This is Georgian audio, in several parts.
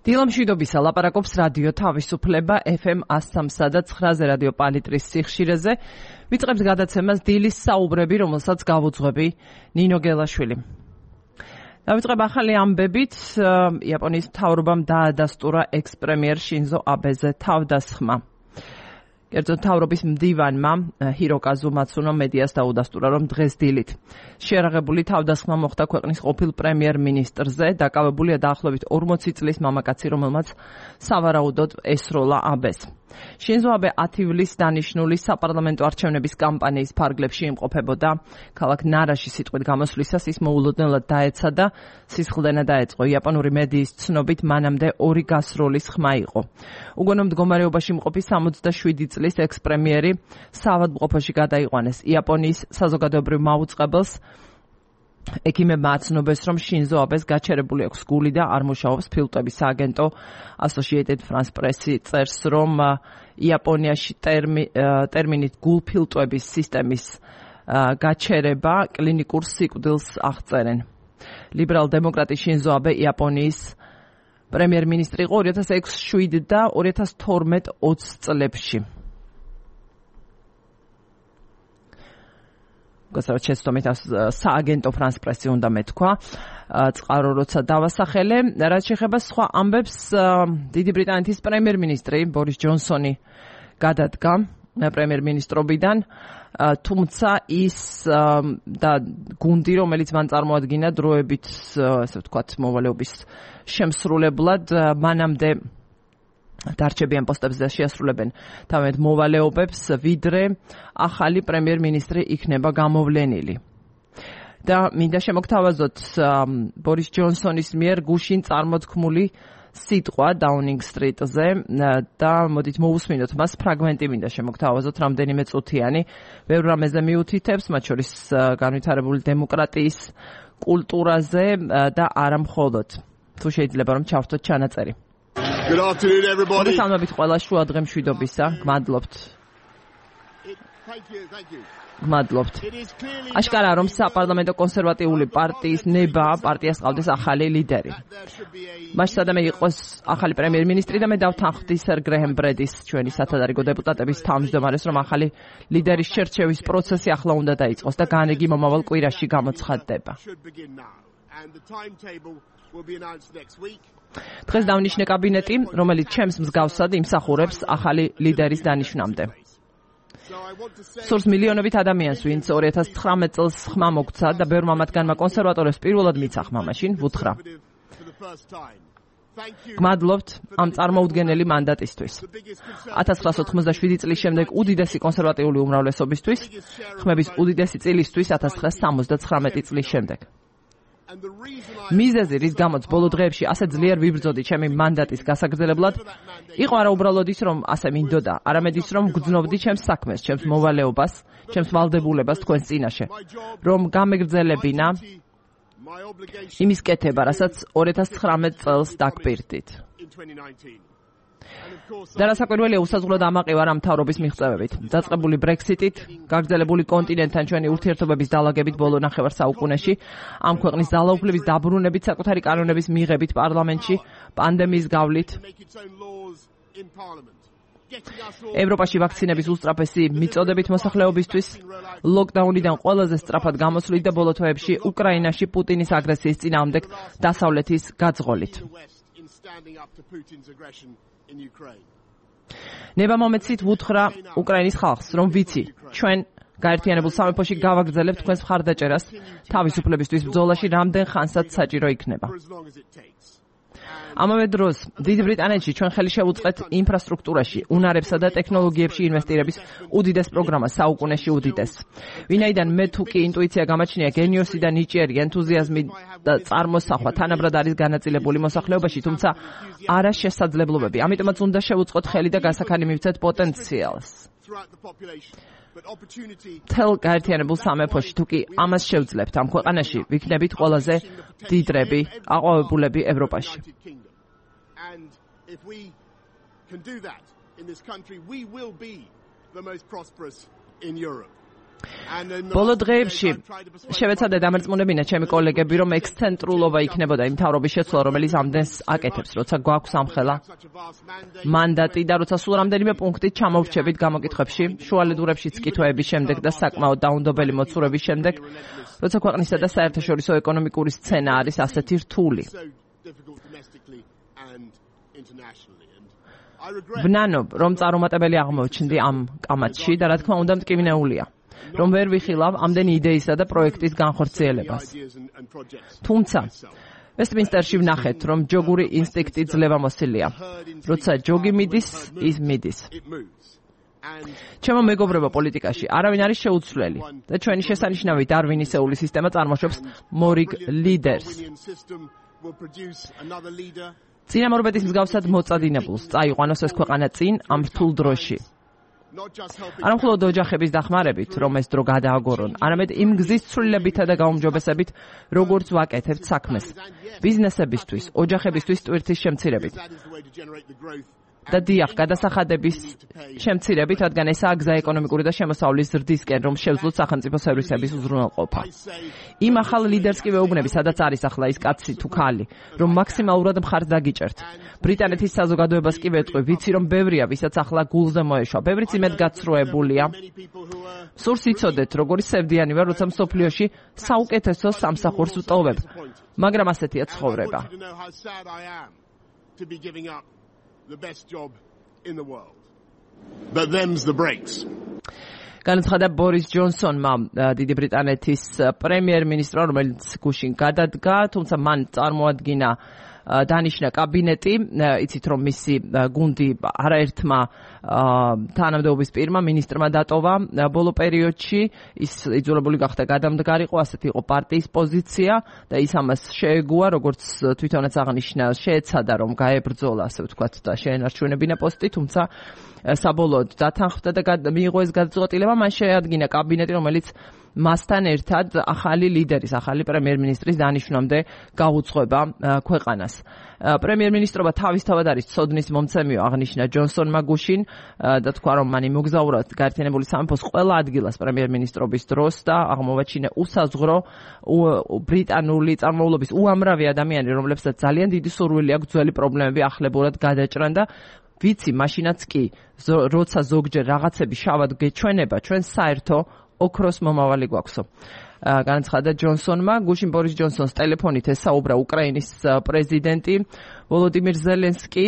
დილამშვიდობისა ლაპარაკობს რადიო თავისუფლება FM 103 და 9-ზე რადიო პალიტრის სიხშირეზე. ვიწყებს გადაცემას დილის საუბრები, რომელსაც გავუძღვები ნინო გელაშვილი. დავიწყებ ახალი ამბებით. იაპონიის მთავრობამ დაადასტურა ექს-პრემიერ შინზო აბეზე თავდასხმა. კერძოდ მთავრობის მდივანმა ჰიროკაზუ მაცუნომ მედიას დაუდასტურა, რომ დღეს დილით შეერაღებული თავდასხმა მოხდა ქვეყნის ყოფილ პრემიერ-მინისტრზე, დაკავებულია დაახლოებით 40 წლის მამაკაცი, რომელმაც სავარაუდოდ ესროლა აბეს. შინზო აბე 10 ივლისს დანიშნული საპარლამენტო არჩევნების კამპანიის ფარგლებში იმყოფებოდა. ქალაქ ნარაში სიტყვით გამოსვლისას ის მოულოდნელად დაეცა და სისხლდენა დაეწყო. იაპონური მედიის ცნობით მანამდე 2 გასროლის ხმა იყო. უგონო მდგომარეობაში მყოფი 67 წლის ექს-პრემიერი საავადმყოფოში გადაიყვანეს. იაპონიის საზოგადოებრივ მაუწყებელს ექიმებმა აცნობეს, რომ შინზო აბეს გაჩერებული აქვს გული და არ მუშაობს. ფილტვების სააგენტო Associated France Press-ი წერს, რომ იაპონიაში ტერმინით გულფილტვების სისტემის გაჩერება კლინიკურ სიკვდილს აღწერენ. ლიბერალ-დემოკრატი შინზო აბე იაპონიის პრემიერ-მინისტრი იყო 2006 და 2012-20 წლებში. გასაჩესტომით სააგენტო France Press-ი უნდა მეთქვა. წყარო როცა დავასახელე, რაც შეეხება სხვა ამბებს, დიდი ბრიტანეთის პრემიერ-მინისტრი ბორის ჯონსონი გადადგა პრემიერ-მინისტრობიდან, თუმცა ის და გუნდი, რომელიც მან წარმოადგინა დროებით, ასე ვთქვათ, მოვალეობის შემსრულებლად, მანამდე დარჩებიან პოსტებზე და შეასრულებენ თავიანთ მოვალეობებს, ვიდრე ახალი პრემიერ-მინისტრი იქნება გამოვლენილი. და მინდა შემოგთავაზოთ ბორის ჯონსონის მიერ გუშინ წარმოთქმული სიტყვა დაუნინგ-სტრიტზე და მოდით მოვუსმინოთ მას ფრაგმენტი, მინდა შემოგთავაზოთ რამდენიმე წუთიანი. ბევრ რამეზე მიუთითებს, მათ შორის განვითარებული დემოკრატიის კულტურაზე და არა მხოლოდ. თუ შეიძლება რომ ჩავთოთ ჩანაწერი. Good afternoon, everybody. მოგესალმებით ყველა შუა დღე მშვიდობისა. გმადლობთ. Thank you. გმადლობთ. აშკარაა, რომ საპარლამენტო კონსერვატიული პარტიის ნება პარტიას ყავდეს ახალი ლიდერი. მას სადამე იყოს ახალი პრემიერ-მინისტრი და მე დავთანხმდი სერ გრეჰემ ბრედის, ჩვენი სათადარიგო დეპუტატების თავმჯდომარეს, რომ ახალი ლიდერის შერჩევის პროცესი ახლა უნდა დაიწყოს და განრიგი მომავალ კვირაში გამოცხადდება. დღეს დავნიშნე კაბინეტი, რომელიც ჩემს მსგავსად იმსახურებს ახალი ლიდერის დანიშვნამდე. სურს მილიონობით ადამიანს, ვინც 2019 წელს ხმა მოგცა და ბევრმა მათგანმა კონსერვატორებს პირველად მიცა ხმა მაშინ ვუთხრა. გმადლობთ ამ წარმოუდგენელი მანდატისთვის. 1987 წლის შემდეგ უდიდესი კონსერვატიული უმრავლესობისთვის, ხმების უდიდესი წილისთვის 1979 წლის შემდეგ. მიზეზი, რის გამოც ბოლო დღეებში ასე ძლიერ ვიბრძოდი ჩემი მანდატის გასაგრძელებლად, იყო არა უბრალოდ ის, რომ ასე მინდოდა, არამედ ის, რომ გძნობდი ჩემს საქმეს, ჩემს მოვალეობას, ჩემს ვალდებულებას თქვენს წინაშე, რომ გამეგრძელებინა იმის კეთება, რასაც 2019 წელს დაგპირდით. და რასაკვირველია, უსაზღვროდ ამაყი ვარ ამ მთავრობის მიღწევებით. დაწყებული ბრექსიტით, გაგრძელებული კონტინენტთან ჩვენი ურთიერთობების დალაგებით ბოლო ნახევარ საუკუნეში, ამ ქვეყნის ძალაუფლების დაბრუნებით, საკუთარი კანონების მიღებით პარლამენტში, პანდემიის გავლით, ევროპაში ვაქცინების უსწრაფესი მიწოდებით მოსახლეობისთვის, ლოკდაუნიდან ყველაზე სწრაფად გამოსვლით და ბოლო თვეებში უკრაინაში პუტინის აგრესიის წინააღმდეგ დასავლეთის გაძღოლით. ნება მომეცით ვუთხრა უკრაინის ხალხს, რომ ვიცი, ჩვენ გაერთიანებულ სამეფოში გავაგრძელებთ თქვენს მხარდაჭერას თავისუფლებისთვის ბრძოლაში რამდენ ხანსაც საჭირო იქნება. ამავე დროს, დიდ ბრიტანეთში ჩვენ ხელი შევუწყეთ ინფრასტრუქტურაში, უნარებსა და ტექნოლოგიებში ინვესტირების უდიდეს პროგრამას, საუკუნეში უდიდეს. ვინაიდან მე თუ კი ინტუიცია გამაჩნია, გენიოსი და ნიჭიერი ენთუზიაზმი და წარმოსახვა თანაბრად არის განაწილებული მოსახლეობაში, თუმცა არა შესაძლებლობები. ამიტომაც უნდა შევუწყოთ ხელი და გასაქანი მივცეთ პოტენციალს. თელ გაერთიანებულ სამეფოში თუ კი ამას შევძლებთ ამ ქვეყანაში, ვიქნებით ყველაზე დიდრები, აყვავებულები ევროპაში. And if we can do that in this country, we will be the most prosperous in Europe. ბოლო დღეებში შევეცადე დამერწმუნებინა ჩემი კოლეგები, რომ ექსცენტრულობა იქნებოდა იმ მთავრობის შეცვლა, რომელიც ამდენს აკეთებს, როცა გვაქვს ამხელა მანდატი და როცა სულ რამდენიმე პუნქტით ჩამოვრჩებით გამოკითხვებში, შუალედურებშიც კითხვების შემდეგ და საკმაოდ დაუნდობელი მოცურების შემდეგ, როცა ქვეყნისა და საერთაშორისო ეკონომიკური სცენა არის ასეთი რთული. ვნანობ, რომ წარუმატებელი აღმოჩნდი ამ კამათში და რა თქმა უნდა მტკივნეულია, რომ ვერ ვიხილავ ამდენი იდეისა და პროექტის განხორციელებას. თუმცა ვესტმინსტერში ვნახეთ, რომ ჯოგური ინსტინქტი ძლევამოსილია. როცა ჯოგი მიდის, ის მიდის. ჩემო მეგობრებო, პოლიტიკაში არავინ არის შეუცვლელი და ჩვენი შესანიშნავი დარვინისეული სისტემა წარმოშობს მორიგ ლიდერს. წინამორბედის მსგავსად მოწადინებულს წაიყვანოს ეს ქვეყანა წინ ამ რთულ დროში. არა მხოლოდ ოჯახების დახმარებით, რომ ეს დრო გადააგორონ, არამედ იმ გზის ცვლილებითა და გაუმჯობესებით, როგორც ვაკეთებთ საქმეს, ბიზნესებისთვის, ოჯახებისთვის ტვირთის შემცირებით. და დიახ, გადასახადების შემცირებით, რადგან ესაა გზა ეკონომიკური და შემოსავლის ზრდისკენ, რომ შევძლოთ სახელმწიფო სერვისების უზრუნველყოფა. იმ ახალ ლიდერს კი ვეუბნები, სადაც არის ახლა ის კაცი თუ ქალი, რომ მაქსიმალურად მხარს დაგიჭერთ. ბრიტანეთის საზოგადოებას კი ვეტყვი, ვიცი რომ ბევრია, ვისაც ახლა გულზე მოეშვა, ბევრიც იმედგაცრუებულია. სურს იცოდეთ, როგორი სევდიანი ვარ, როცა მსოფლიოში საუკეთესო სამსახურს ვტოვებ, მაგრამ ასეთია ცხოვრება. The best job in the world. But them's the breaks. განაცხადა ბორის ჯონსონმა, დიდი ბრიტანეთის პრემიერ-მინისტრმა, რომელიც გუშინ გადადგა, თუმცა მან წარმოადგინა დანიშნა კაბინეტი, იცით რომ მისი გუნდი არაერთმა თანამდებობის პირმა მინისტრმა დატოვა ბოლო პერიოდში, ის იძულებული გახდა გადამდგარიყო, ასეთი იყო პარტიის პოზიცია და ის ამას შეეგუა, როგორც თვითონაც აღნიშნა, შეეცადა რომ გაებრძოლა, ასე ვთქვათ, და შეენარჩუნებინა პოსტი, თუმცა საბოლოოდ დათანხმდა და მიიღო ეს გადაწყვეტილება, მან შეადგინა კაბინეტი, რომელიც მასთან ერთად ახალი ლიდერის, ახალი პრემიერ-მინისტრის დანიშვნამდე გაუძღვება ქვეყანას. პრემიერ-მინისტრობა თავისთავად არის ცოდნის მომცემიო, აღნიშნა ჯონსონმა გუშინ და თქვა, რომ მან იმოგზაურა გაერთიანებული სამეფოს ყველა ადგილას პრემიერ-მინისტრობის დროს და აღმოვაჩინა უსაზღრო ბრიტანული წარმოულობის უამრავი ადამიანი, რომლებსაც ძალიან დიდი სურვილი აქვს ძველი პრობლემები ახლებურად გადაჭრან და ვიცი, მაშინაც კი, როცა ზოგჯერ რაღაცები შავად გეჩვენება, ჩვენ საერთო ოქროს მომავალი გვაქვსო. განაცხადა ჯონსონმა, გუშინ ბორის ჯონსონს ტელეფონით ესაუბრა უკრაინის პრეზიდენტი ვოლოდიმირ ზელენსკი,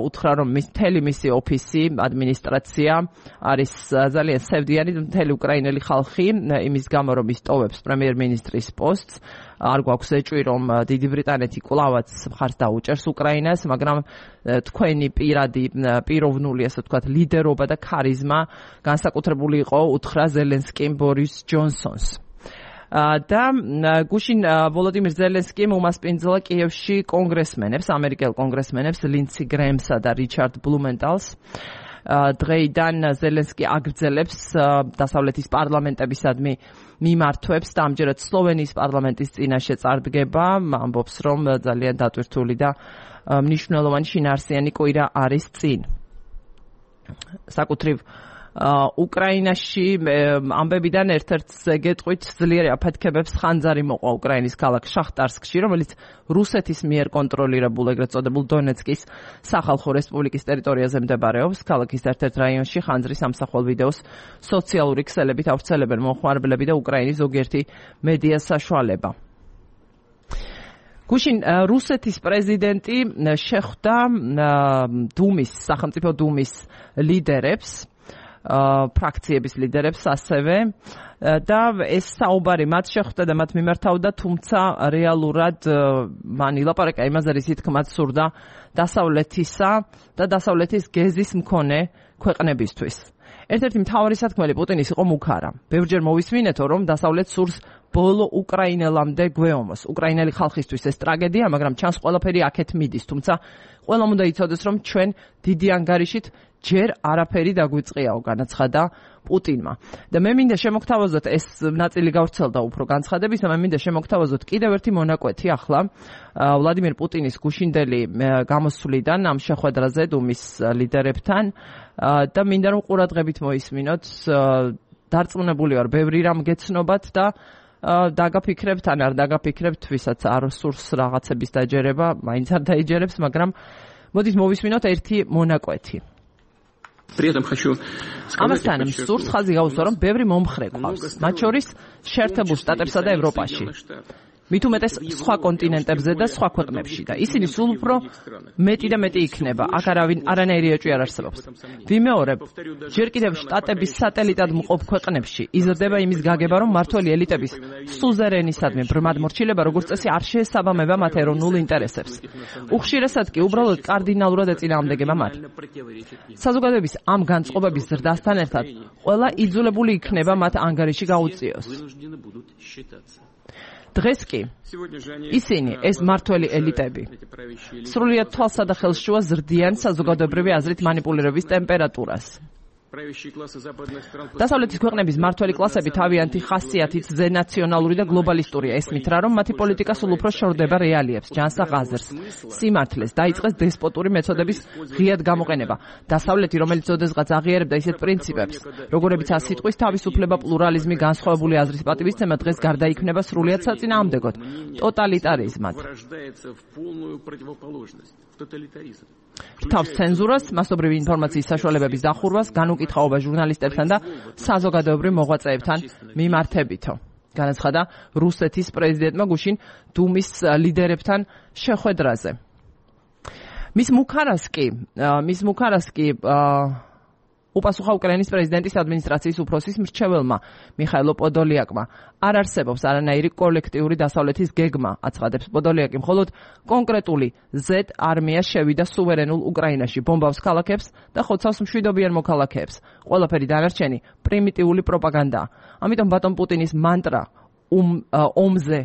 უთხრა რომ მისი ოფისი, ადმინისტრაცია არის ძალიან სევდიანი, მთელი უკრაინელი ხალხი იმის გამო რომ ის ტოვებს პრემიერ-მინისტრის პოსტს, არ გვაქვს ეჭვი რომ დიდი ბრიტანეთი კვლავაც მხარს დაუჭერს უკრაინას, მაგრამ თქვენი პიროვნული, ასე ვთქვათ, ლიდერობა და ქარიზმა განსაკუთრებული იყო, უთხრა ზელენსკიმ ბორის ჯონსონს. და გუშინ ვოლოდიმირ ზელენსკიმ უმასპინძლა კიევში კონგრესმენებს, ამერიკელ კონგრესმენებს ლინცი გრეემსა და რიჩარდ ბლუმენტალს. დღეიდან ზელენსკი აგრძელებს დასავლეთის პარლამენტებისადმი მიმართვებს და ამჯერად სლოვენიის პარლამენტის წინაშე წარდგება, ამბობს რომ ძალიან დატვირთული და მნიშვნელოვანი შინაარსიანი კვირა არის წინ. საკუთრივ უკრაინაში ამბებიდან ერთ-ერთ გეტყვით ძლიერი აფეთქებებს ხანძარი მოყვა უკრაინის ქალაქ შახტარსკში, რომელიც რუსეთის მიერ კონტროლირებულ ეგრეთ წოდებულ დონეცკის სახალხო რესპუბლიკის ტერიტორიაზე მდებარეობს. ქალაქის ერთ-ერთ რაიონში ხანძრის ამსახველ ვიდეოს სოციალური ქსელებით ავრცელებენ მომხმარებლები და უკრაინის ზოგიერთი მედია საშუალება. გუშინ რუსეთის პრეზიდენტი შეხვდა სახელმწიფო დუმის ლიდერებს, ფრაქციების ლიდერებს ასევე და ეს საუბარი მათ შეხვდა და მათ მიმართავდა, თუმცა რეალურად მან ილაპარაკა იმაზე, რისი თქმაც სურდა დასავლეთისა და დასავლეთის გეზის მქონე ქვეყნებისთვის. ერთ-ერთი მთავარი სათქმელი პუტინის იყო მუქარა. ბევრჯერ მოვისმინეთო, რომ დასავლეთ სურს ბოლო უკრაინელამდე გვეომოს. უკრაინელი ხალხისთვის ეს ტრაგედია, მაგრამ ჩანს ყველაფერი აქეთ მიდის, თუმცა ყველამ უნდა იცოდეს, რომ ჩვენ დიდი ანგარიშით ჯერ არაფერი დაგვიწყიაო, განაცხადა პუტინმა. და მე მინდა შემოგთავაზოთ, ეს ნაწილი გავრცელდა უფრო განცხადების, მე მინდა შემოგთავაზოთ კიდევ ერთი მონაკვეთი ახლა ვლადიმირ პუტინის გუშინდელი გამოსვლიდან ამ შეხვედრაზე დუმის ლიდერებთან და მინდა რომ ყურადღებით მოისმინოთ დარწმუნებული ვარ, ბევრი რამ გეცნობათ და დაგაფიქრებთ, ან არ დაგაფიქრებთ, ვისაც არ სურს რაღაცების დაჯერება, მაინც არ დაიჯერებს, მაგრამ მოდით მოვისმინოთ ერთი მონაკვეთი. ამასთან მსურს ხაზი გაუსვა, რომ ბევრი მომხრე გვყავს, მათ შორის შეერთებულ შტატებსა და ევროპაში. მით უმეტეს სხვა კონტინენტებზე და სხვა ქვეყნებში და ისინი სულ უფრო მეტი და მეტი იქნება. აქ არანაირი ეჭვი არ არსებობს. ვიმეორებ, ჯერ კიდევ შტატების სატელიტად მყოფ ქვეყნებში იზრდება იმის გაგება, რომ მმართველი ელიტების სუზერენისადმი ბრმად მორჩილება როგორც წესი არ შეესაბამება მათ ეროვნულ ინტერესებს. უხშირესად კი უბრალოდ კარდინალურად ეწინააღმდეგება მათ. საზოგადოების ამ განწყობების ზრდასთან ერთად ყველა იძულებული იქნება მათ ანგარიში გაუწიოს. დღეს კი ისინი, ეს მმართველი ელიტები, სრულიად თვალსა და ხელშუა ზრდიან საზოგადოებრივი აზრით მანიპულირების ტემპერატურას. დასავლეთის ქვეყნების მმართველი კლასები თავიანთი ხასიათით ზენაციონალური და გლობალისტურია. ესმით რა, რომ მათი პოლიტიკა სულ უფრო შორდება რეალიებს, ჯანსაღ აზრს, სიმართლეს, დაიწყეს დესპოტური მეთოდების ღიად გამოყენება. დასავლეთი, რომელიც ოდესღაც აღიარებდა ისეთ პრინციპებს, როგორებიცაა სიტყვის თავისუფლება, პლურალიზმი, განსხვავებული აზრის პატივისცემა, დღეს გარდაიქმნება სრულიად საწინააღმდეგოდ, ტოტალიტარიზმად. თავს ცენზურას, მასობრივი ინფორმაციის საშუალებების დახურვას, განუკითხაობა ჟურნალისტებთან და საზოგადოებრივ მოღვაწეებთან მიმართებითო. განაცხადა რუსეთის პრეზიდენტმა გუშინ დუმის ლიდერებთან შეხვედრაზე. მის მუქარას კი უპასუხა უკრაინის პრეზიდენტის ადმინისტრაციის უფროსის მრჩეველმა მიხაილო პოდოლიაკმა. არ არსებობს არანაირი კოლექტიური დასავლეთის გეგმა, აცხადებს პოდოლიაკი, მხოლოდ კონკრეტული Z არმია შევიდა სუვერენულ უკრაინაში, ბომბავს ქალაქებს და ხოცავს მშვიდობიან მოქალაქეებს. ყველაფერი დანარჩენი პრიმიტიული პროპაგანდაა. ამიტომ ბატონ პუტინის მანტრა ომზე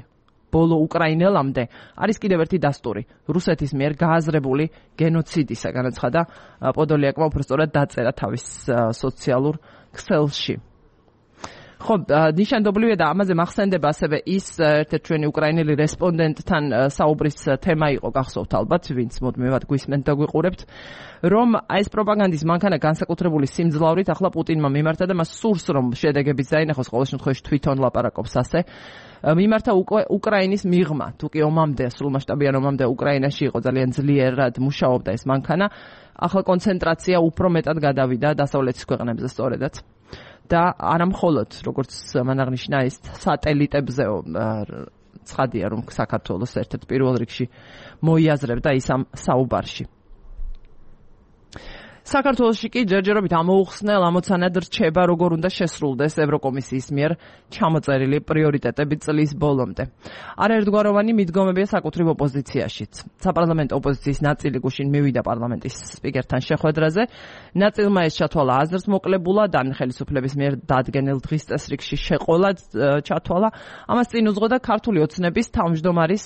ბოლო უკრაინელამდე არის კიდევ ერთი დასტური რუსეთის მიერ გააზრებული გენოციდისა, განაცხადა პოდოლიაკმა, უბრალოდ დაწერა თავის სოციალურ ქსელში. ხო, ნიშანდობლივია და ამაზე მახსენდება ასევე ის ერთ-ერთი ჩვენი უკრაინელი რესპონდენტთან საუბრის თემა იყო, გახსოვთ ალბათ, ვინც მუდმივად გვისმენთ და გვიყურებთ, რომ ეს პროპაგანდის მანქანა განსაკუთრებული სიმძლავრით ახლა პუტინმა მიმართა და მას სურს, რომ შედეგებიც დაინახოს, ყოველ შემთხვევაში თვითონ ლაპარაკობს ასე. მიმართა უკრაინის მიღმა, თუ კი ომამდე, სრულმასშტაბიან ომამდე უკრაინაში იყო ძალიან ძლიერად მუშაობდა ეს მანქანა, ახლა კონცენტრაცია უფრო მეტად გადავიდა დასავლეთის ქვეყნებზე სწორედაც. და არა მხოლოდ, როგორც მან აღნიშნა, ის სატელიტებზეო ცხადია, რომ საქართველოს ერთ-ერთ პირველ რიგში მოიაზრებდა ის ამ საუბარში. საქართველოში კი ჯერჯერობით ამოუხსნელ ამოცანად რჩება, როგორ უნდა შესრულდეს ევროკომისიის მიერ ჩამოწერილი პრიორიტეტები წლის ბოლომდე. არაერთგვაროვანი მიდგომებია საკუთრივ ოპოზიციაშიც. საპარლამენტო ოპოზიციის ნაწილი გუშინ მივიდა პარლამენტის სპიკერთან შეხვედრაზე. ნაწილმა ეს ჩათვალა აზრს მოკლებულად, ან ხელისუფლების მიერ დადგენილ დღის წესრიგში შეყოლა ჩათვალა. ამას წინ უძღოდა ქართული ოცნების თავმჯდომარის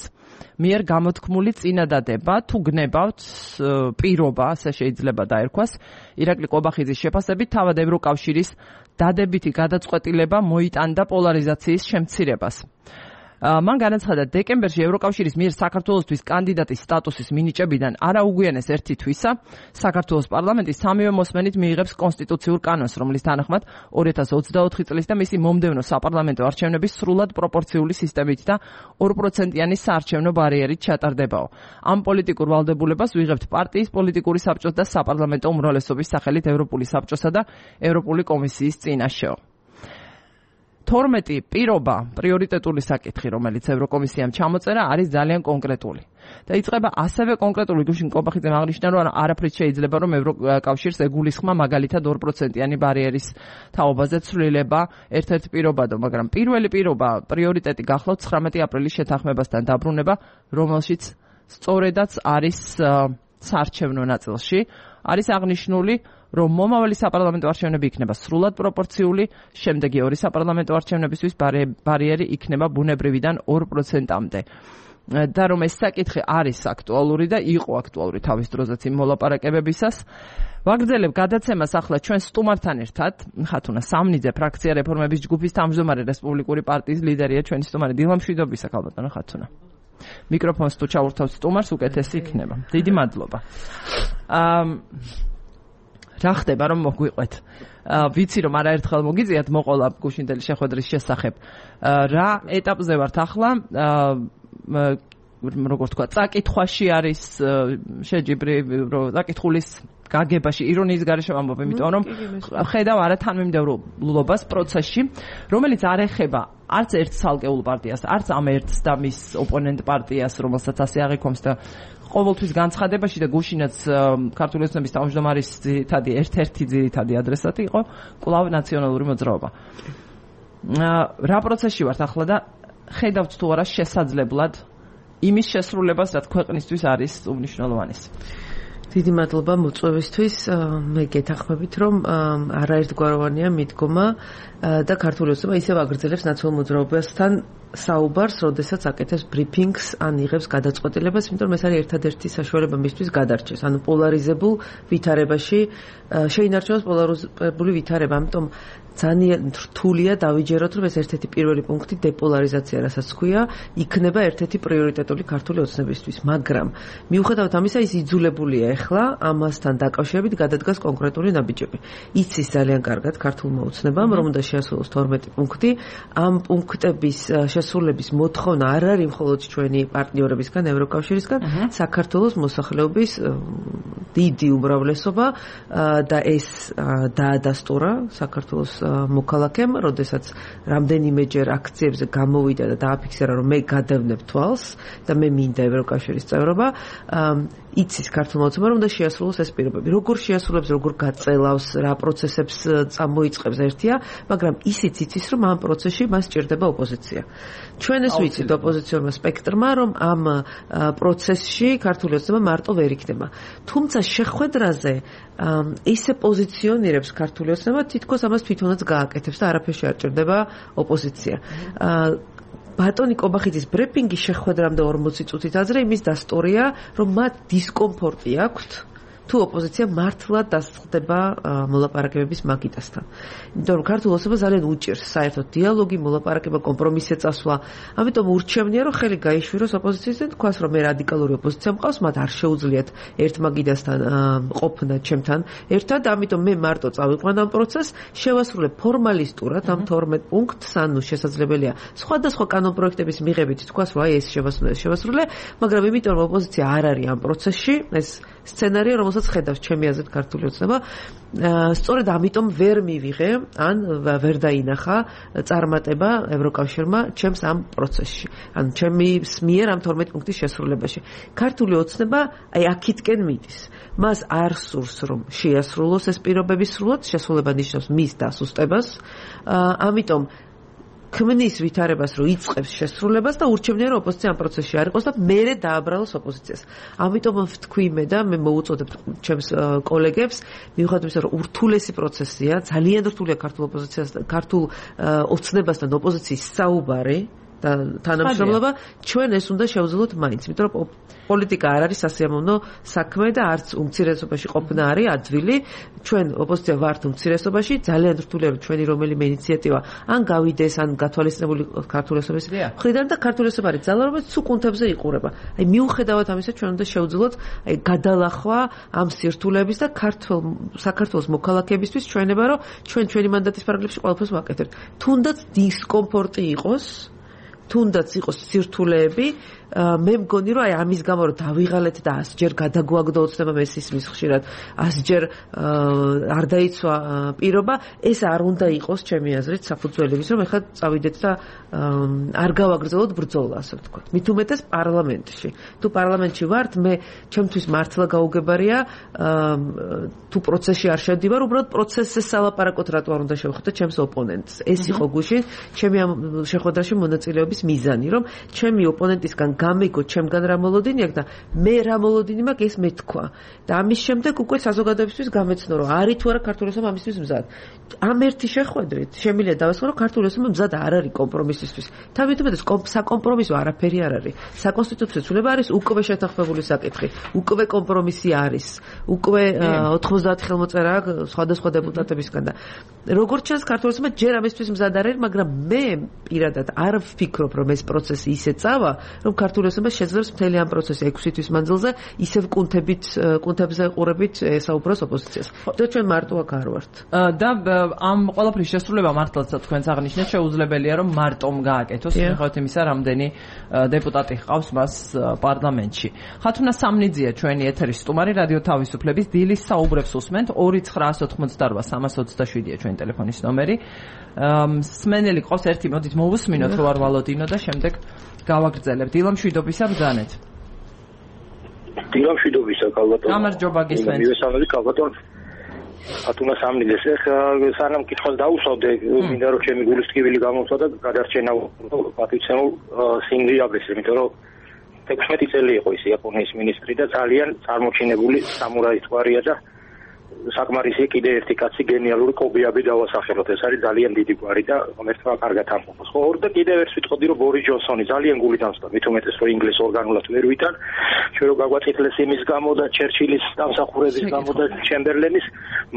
მიერ გამოთქმული წინადადება, თუ გნებავთ პირობა, ასე შეიძლება დაერქვას, ირაკლი ყობახიძის შეფასებით, თავად ევროკავშირის დადებითი გადაწყვეტილება მოიტანდა პოლარიზაციის შემცირებას. მან განაცხადა, დეკემბერში ევროკავშირის მიერ საქართველოსთვის კანდიდატის სტატუსის მინიჭებიდან არა უგვიანეს ერთი თვისა, საქართველოს პარლამენტი სამივე მოსმენით მიიღებს კონსტიტუციურ კანონს, რომლის თანახმად 2024 წლის და მისი მომდევნო საპარლამენტო არჩევნების სრულად პროპორციული სისტემით და 2%-იანი საარჩევნო ბარიერით ჩატარდებაო. ამ პოლიტიკურ ვალდებულებას ვიღებთ პარტიის პოლიტიკური საბჭოს და საპარლამენტო უმრავლესობის სახელით ევროპული საბჭოსა და ევროპული კომისიის წინაშეო. 12 პირობა, პრიორიტეტული საკითხი, რომელიც ევროკომისიამ ჩამოწერა, არის ძალიან კონკრეტული. და იწყება ასევე კონკრეტული, გუშინ ყობახიძემ აღნიშნა, რომ არაფრით შეიძლება, რომ ევროკავშირს ეგულისხმა მაგალითად 2%-იანი ბარიერის თაობაზე ცვლილება ერთ-ერთ პირობადო, მაგრამ პირველი პირობა, პრიორიტეტი გახლავთ 19 აპრილის შეთანხმებასთან დაბრუნება, რომელშიც სწორედაც არის საარჩევნო ნაწილში, არის აღნიშნული, რომ მომავალი საპარლამენტო არჩევნები იქნება სრულად პროპორციული, შემდეგი ორი საპარლამენტო არჩევნებისთვის ბარიერი იქნება ბუნებრივიდან 2%-მდე. და რომ ეს საკითხი არის აქტუალური და იყო აქტუალური თავის დროზეც იმ მოლაპარაკებებისას, ვაგრძელებ გადაცემას ახლა ჩვენ სტუმართან ერთად, ხათუნა სამნიძე, ფრაქცია რეფორმების ჯგუფის თავმჯდომარე, რესპუბლიკური პარტიის ლიდერია ჩვენი სტუმარი. დილა მშვიდობისა, ქალბატონო ხათუნა. მიკროფონს თუ ჩავურთავთ სტუმარს, უკეთესი იქნება. დიდი მადლობა. რა ხდება რომ მოგვიყვეთ ვიცი რომ არაერთხელ მოგიწიათ მოყოლა გუშინდელი შეხვედრის შესახებ რა ეტაპზე ვართ ახლა როგორ თქვა წაკითხვაში არის შეჯიბრი წაკითხulis გაგებაში ირონიის გარეშე ვამბობ იმიტომ რომ ხედავ არა თანმიმდევრულობას პროცესში რომელიც არ ეხება არც ერთ ცალკეულ პარტიას არც ამ ერთს და მის ოპონენტ პარტიას რომელსაც ასე აღიქვამს და ყოველთვის განცხადებაში და გუშინაც ქართული ოცნების თავმჯდომარის ერთ-ერთი ძირითადი ადრესატი იყო კვლავ ნაციონალური მოძრაობა რა პროცესში ვართ ახლა და ხედავთ თუ არა შესაძლებლად იმის შესრულებას რაც ქვეყნისთვის არის უმნიშვნელოვანესი დიდი მადლობა მოწვევისთვის მე გეთანხმებით რომ არაერთგვაროვანია მიდგომა და ქართული ოცნება ისევ აგრძელებს ნაციონალურ მოძრაობასთან საუბარს, როდესაც აკეთებს ბრიფინგს ან იღებს გადაწყვეტილებას, იმიტომ რომ ეს არის ერთადერთი საშუალება მისთვის გადარჩეს. ანუ პოლარიზებულ ვითარებაში შეინარჩუნოს პოლარიზებული ვითარება, ამიტომ ძალიან რთულია დავიჯეროთ, რომ ეს ერთ-ერთი პირველი პუნქტი დეპოლარიზაცია, რასაც ქვია, იქნება ერთ-ერთი პრიორიტეტული ქართული ოცნებისთვის, მაგრამ მიუხედავად ამისა, ის იძულებულია ახლა ამასთან დაკავშირებით გადადგას კონკრეტული ნაბიჯები. იცის ძალიან კარგად ქართულმა ოცნებამ, რომ უნდა შეასრულოს 12 პუნქტი, ამ პუნქტების შესრულების მოთხოვნა არ არის მხოლოდ ჩვენი პარტნიორებისგან, ევროკავშირისგან, საქართველოს მოსახლეობის დიდი უმრავლესობა და ეს დაადასტურა საქართველოს მოქალაქემ, როდესაც რამდენიმეჯერ აქციებზე გამოვიდა და დააფიქსირა, რომ მე გადავნებ თვალს და მე მინდა ევროკავშირის წევრობა, იცის ქართულმა ოცნებამ, რომ უნდა შეასრულოს ეს პირობები. როგორ შეასრულებს, როგორ გაწელავს, რა პროცესებს წამოიწყებს ერთია, მაგრამ ისიც იცის, რომ ამ პროცესში მას სჭირდება ოპოზიცია. ჩვენ ეს ვიცით ოპოზიციურმა სპექტრმა, რომ ამ პროცესში ქართული ოცნება მარტო ვერ იქნება. თუმცა შეხვედრაზე ისე პოზიციონირებს ქართული ოცნება, თითქოს ამას თვითონაც გააკეთებს და არაფერში არ ჭირდება ოპოზიცია. ბატონი კობახიძის ბრიფინგი შეხვედრამდე 40 წუთით ადრე იმის დასტურია, რომ მათ დისკომფორტი აქვთ თუ ოპოზიცია მართლა დასწრდება მოლაპარაკებების მაგიდასთან. იმიტომ რომ ქართულ ოცნებას ძალიან უჭირს საერთოდ დიალოგი, მოლაპარაკება, კომპრომისზე წასვლა. ამიტომ ურჩევნია რომ ხელი გაიშვიროს ოპოზიციისგან, თქვას რომ მე რადიკალური ოპოზიცია მყავს, მათ არ შეუძლიათ ერთ მაგიდასთან ყოფნა ჩემთან ერთად, ამიტომ მე მარტო წავიყვან ამ პროცესს, შევასრულებ ფორმალისტურად ამ 12 პუნქტს, ანუ შესაძლებელია სხვადასხვა კანონპროექტების მიღებით თქვას რომ აი ეს შევასრულე, მაგრამ იმიტომ რომ ოპოზიცია არ არის ამ პროცესში, ეს სცენარია, რომელსაც ხედავს ჩემი აზრით ქართული ოცნება, სწორედ ამიტომ ვერ მივიღე, ან ვერ დაინახა წარმატება ევროკავშირმა ჩემს ამ პროცესში. ან ჩემის მიერ ამ 12 პუნქტის შესრულებაში. ქართული ოცნება აი აქეთკენ მიდის. მას არ სურს რომ შეასრულოს ეს პირობები სრულად, შესრულება ნიშნავს მის დასუსტებას. ამიტომ ქმნის ვითარებას რომ იწყებს შესრულებას და ურჩევნია რომ ოპოზიცია ამ პროცესში არ იყოს და მერე დააბრალოს ოპოზიციას. ამიტომ ვთქვი მე და მე მოუწოდებ ჩემს კოლეგებს, მიუხედავად იმისა რომ ურთულესი პროცესია, ძალიან რთულია ქართულ ოპოზიციას, ქართულ ოცნებასთან ოპოზიციის საუბარი და თანამშრომლობა, ჩვენ ეს უნდა შევძლოთ მაინც, იმიტომ რომ პოლიტიკა არ არის სასიამოვნო საქმე და არც უმცირესობაში ყოფნა არის ადვილი. ჩვენ ოპოზიცია ვართ უმცირესობაში, ძალიან რთულია რომ ჩვენი რომელიმე ინიციატივა ან გავიდეს, ან გათვალისწინებული ქართული ოცნების მხრიდან და ქართული ოცნება არის ძალა, რომელიც სულ კუნთებზე იყურება. აი მიუხედავად ამისა, ჩვენ უნდა შევძლოთ აი გადალახვა ამ სირთულეების და საქართველოს მოქალაქეებისთვის ჩვენება, რომ ჩვენი მანდატის პარაგრაფში ყველაფერს ვაკეთებთ. თუნდაც დისკომფორტი იყოს, თუნდაც იყოს სირთულეები, მე მგონი რომ აი ამის გამო რომ დავიღალეთ და 100-ჯერ გადაგვაგდო ოცნება ეს ისმის ხშირად 100-ჯერ არ დაიცვა პირობა, ეს არ უნდა იყოს ჩემი აზრით საფუძველების, რომ ეხლა წავიდეთ და არ გავაგრძელოთ ბრძოლა, ასე ვთქვათ. მით უმეტეს პარლამენტში. თუ პარლამენტში ვართ, მე ჩემთვის მართლა გაუგებარია თუ პროცესში არ შევდივარ, უბრალოდ პროცესზე სალაპარაკოთ რატო არ უნდა შევხვდე ჩემს ოპონენტს. ეს იყო გუშინ ჩემი ამ შეხვედრაში მონაწილეობის მიზანი, რომ ჩემი ოპონენტისგან გამიგო ჩემგან რა მოლოდინი აქვს და მე რა მოლოდინი მაქვს ეს მეთქვა და ამის შემდეგ უკვე საზოგადოებისთვის გამეცნო რომ არის თუ არა ქართული ოცნება ამისთვის მზად. ამ ერთი შეხვედრით შემიძლია დავასრულო რომ ქართული ოცნება მზად არ არის კომპრომისისთვის. თავითუმეტ საკომპრომისო არაფერი არ არის. საკონსტიტუციო ცვლილება არის უკვე შეთანხმებული საკითხი, უკვე კომპრომისი არის, უკვე 90 ხელმოწერა სხვადასხვა დეპუტატებისგან და როგორც ჩანს ქართული ოცნება ჯერ ამისთვის მზად არ არის, მაგრამ მე პირადად არ ვფიქრობ რომ ეს პროცესი ისე წავა, რომ ქართული ოცნება შეძლებს მთელი ამ პროცესი 6 თვის მანძილზე ისევ კუნთებზე ყურებით ესაუბროს ოპოზიციას. და ჩვენ მარტო აქ არ ვართ. და ამ ყველაფრის შესრულება მართლაც თქვენს აღნიშნეთ შეუძლებელია რომ მარტომ გააკეთოს, მიუხედავად იმისა, რამდენი დეპუტატი ჰყავს მას პარლამენტში. ხათუნა სამნიძია ჩვენი ეთერის სტუმარი რადიო თავისუფლების დილის საუბრებს უსმენთ 2988327-ია ჩვენი ტელეფონის ნომერი. სმენელი ყავს ერთი, მოდით მოვუსმინოთ რო არ ვალოდინო და შემდეგ გავაგრძელებთ. დილა მშვიდობისა ბრძანეთ. დილა მშვიდობისა კალბატონო. გამარჯობა გისმენთ. მივესალმები კალბატონო. ხათუნა სამნიძეს სანამ კითხვას დაუსვავდე, მინდა რომ ჩემი გულის ტკივილი გამოვსვა და გადარჩენა პატივცემულ სინგლიაბრეს, იმიტომ რომ 16 წელი იყო ის იაპონიის მინისტრი და ძალიან წარმოჩინებული სამურაის თვარია და საკმარისი კიდე ერთი კაცი გენიალური კობიაბი დავასახელოთ. ეს არის ძალიან დიდი გვარი და ღმერთმა კარგად ამყოფოს. ხო, და კიდევ ერთ ვიტყოდი რომ ბორის ჯონსონი ძალიან გული დამსდა, მით უმეტეს რომ ინგლისს ორგანულად ვერ ვიტან, ჩვენ რო გაგვაწითლეს იმის გამო და ჩერჩილის დამსახურების გამო და ჩემბერლენის,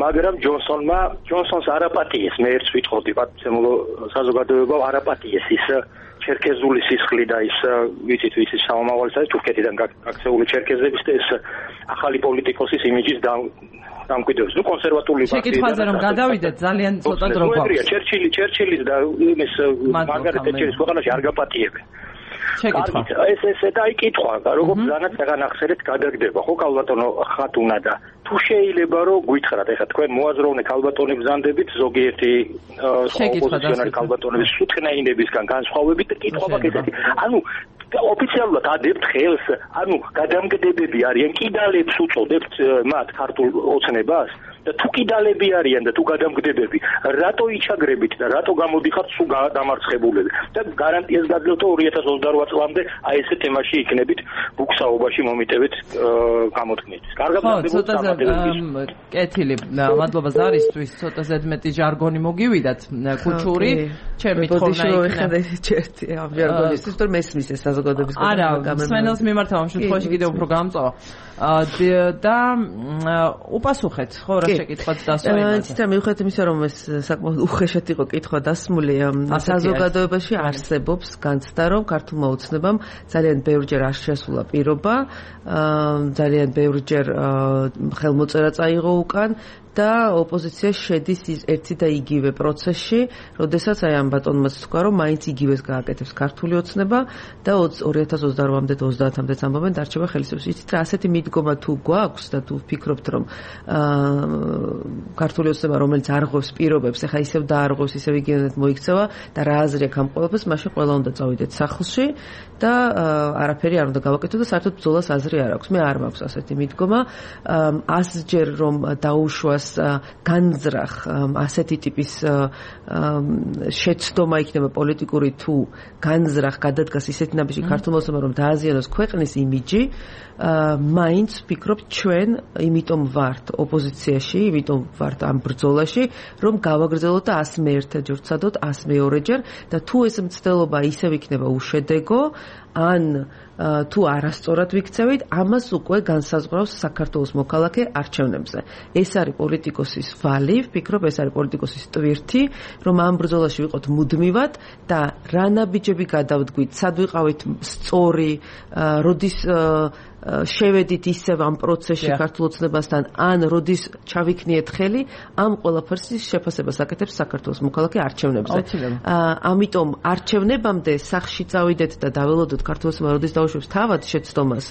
მაგრამ ჯონსონს არაპატიეს, მე ერთს ვიტყოდი პატიმცემულო საზოგადოება არაპატიეს ის ჩერქეზული სისხლი და ის ვიცით ვის ის სამომავალისა თურქეთიდან გაქცეული ჩერქეზების და ეს ახალი პოლიტიკოსის იმიჯის დამკვიდრებს. ნუ კონსერვატული პარტია. შეკითხვაზე რომ გადავიდეთ ძალიან ცოტა დრო გვაქვს. ჩერჩილის და იმის მარგარეტ თეჩერის ქვეყანაში არ გაპატიებენ. შეკითხვა. ეს დაიკითხვა, როგორ ბრძანაც აღახსენეთ გადაგდება, ხო კალბატონო ხათუნა და თუ შეიძლება რომ გითხრათ, ეხლა თქვენ მოაზროვნე კალბატონი ბრძანდებით ზოგიერთი ოპოზიციონერი კალბატონების სუთხნაინებისგან განსხვავებით და კითხვა მაქვს ესეთი. ანუ ოფიციალურად ადებთ ხელს, ანუ გადამგდებები არიან, კიდალებს უწოდებთ მათ ქართულ ოცნებას და თუ კიდალები არიან და თუ გადამგდებები, რატო იჩაგრებით და რატო გამოდიხართ სულ დამარცხებულები და გარანტიას გაძლევთ 2028 წლამდე აი ესე თემაში იქნებით ბუქსაობაში მომიტევით გამოთქმით. კარგად კეთილი, მადლობა ზარისთვის, ცოტა ზედმეტი ჟარგონი მოგივიდათ, ქუჩური, ჩემი თხოვნა იქნა. ამ ჟარგონისთვის თუ მესმის ეს საზოგადოების არა, სვენელს მიმართავ ამ შემთხვევაში კიდევ უფრო გამწვა. და უპასუხეთ, ხო, რა შეკითხვაც დასვა იმაზე. ცოტა მიუხედავად იმისა, რომ ეს საკმაოდ უხეშად იყო კითხვა დასმული, საზოგადოებაში არსებობს განცდა, რომ ქართულმა ოცნებამ ძალიან ბევრჯერ არ შესულა პირობა, ძალიან ბევრჯერ ხელმოწერა წაიღო უკან და ოპოზიცია შედის ერთი და იგივე პროცესში, როდესაც აი ამ ბატონმაც თქვა, რომ მაინც იგივეს გააკეთებს ქართული ოცნება და 2028-მდე 30-მდე ამბობენ დარჩება ხელისუფლების. იცით რა, ასეთი მიდგომა თუ გვაქვს და თუ ვფიქრობთ, რომ ქართული ოცნება, რომელიც არღვევს პირობებს, ეხა ისევ დაარღვევს, ისევ იგივედ მოიქცევა და რა აზრი აქვს ამ ყველაფერს, მაშინ ყველა უნდა წავიდეთ სახლში და არაფერი არ უნდა გავაკეთოთ და საერთოდ ბრძოლას აზრი არ აქვს. მე არ მაქვს ასეთი მიდგომა. ასჯერ რომ დაუშვას განძრახ ასეთი ტიპის შეცდომა იქნება პოლიტიკური თუ განძრახ გადადგას ისეთი ნაბიჯი ქართულმა ოცნებამ რომ დააზიანოს ქვეყნის იმიჯი, მაინც ვფიქრობ ჩვენ იმიტომ ვართ ოპოზიციაში, იმიტომ ვართ ამ ბრძოლაში, რომ გავაგრძელოთ და 101-ჯერ ვცადოთ, 102-ჯერ და თუ ეს მცდელობა ისევ იქნება უშედეგო, ან თუ არასწორად ვიქცევით, ამას უკვე განსაზღვრავს საქართველოს მოქალაქე არჩევნებზე. ეს არის პოლიტიკოსის ვალი, ვფიქრობ, ეს არის პოლიტიკოსის ტვირთი, რომ ამ ბრძოლაში ვიყოთ მუდმივად და რა ნაბიჯები გადავდგვით, სად ვიყავით სწორი, როდის შევედით ისევ ამ პროცესში ქართულ ოცნებასთან, ან როდის ჩავიქნიეთ ხელი, ამ ყველაფერს შეფასებას აკეთებს საქართველოს მოქალაქე არჩევნებზე. ამიტომ არჩევნებამდე სახში წავიდეთ და დაველოდოთ ქართულ ოცნებას, როდის დაუშვებს თავად შეცდომას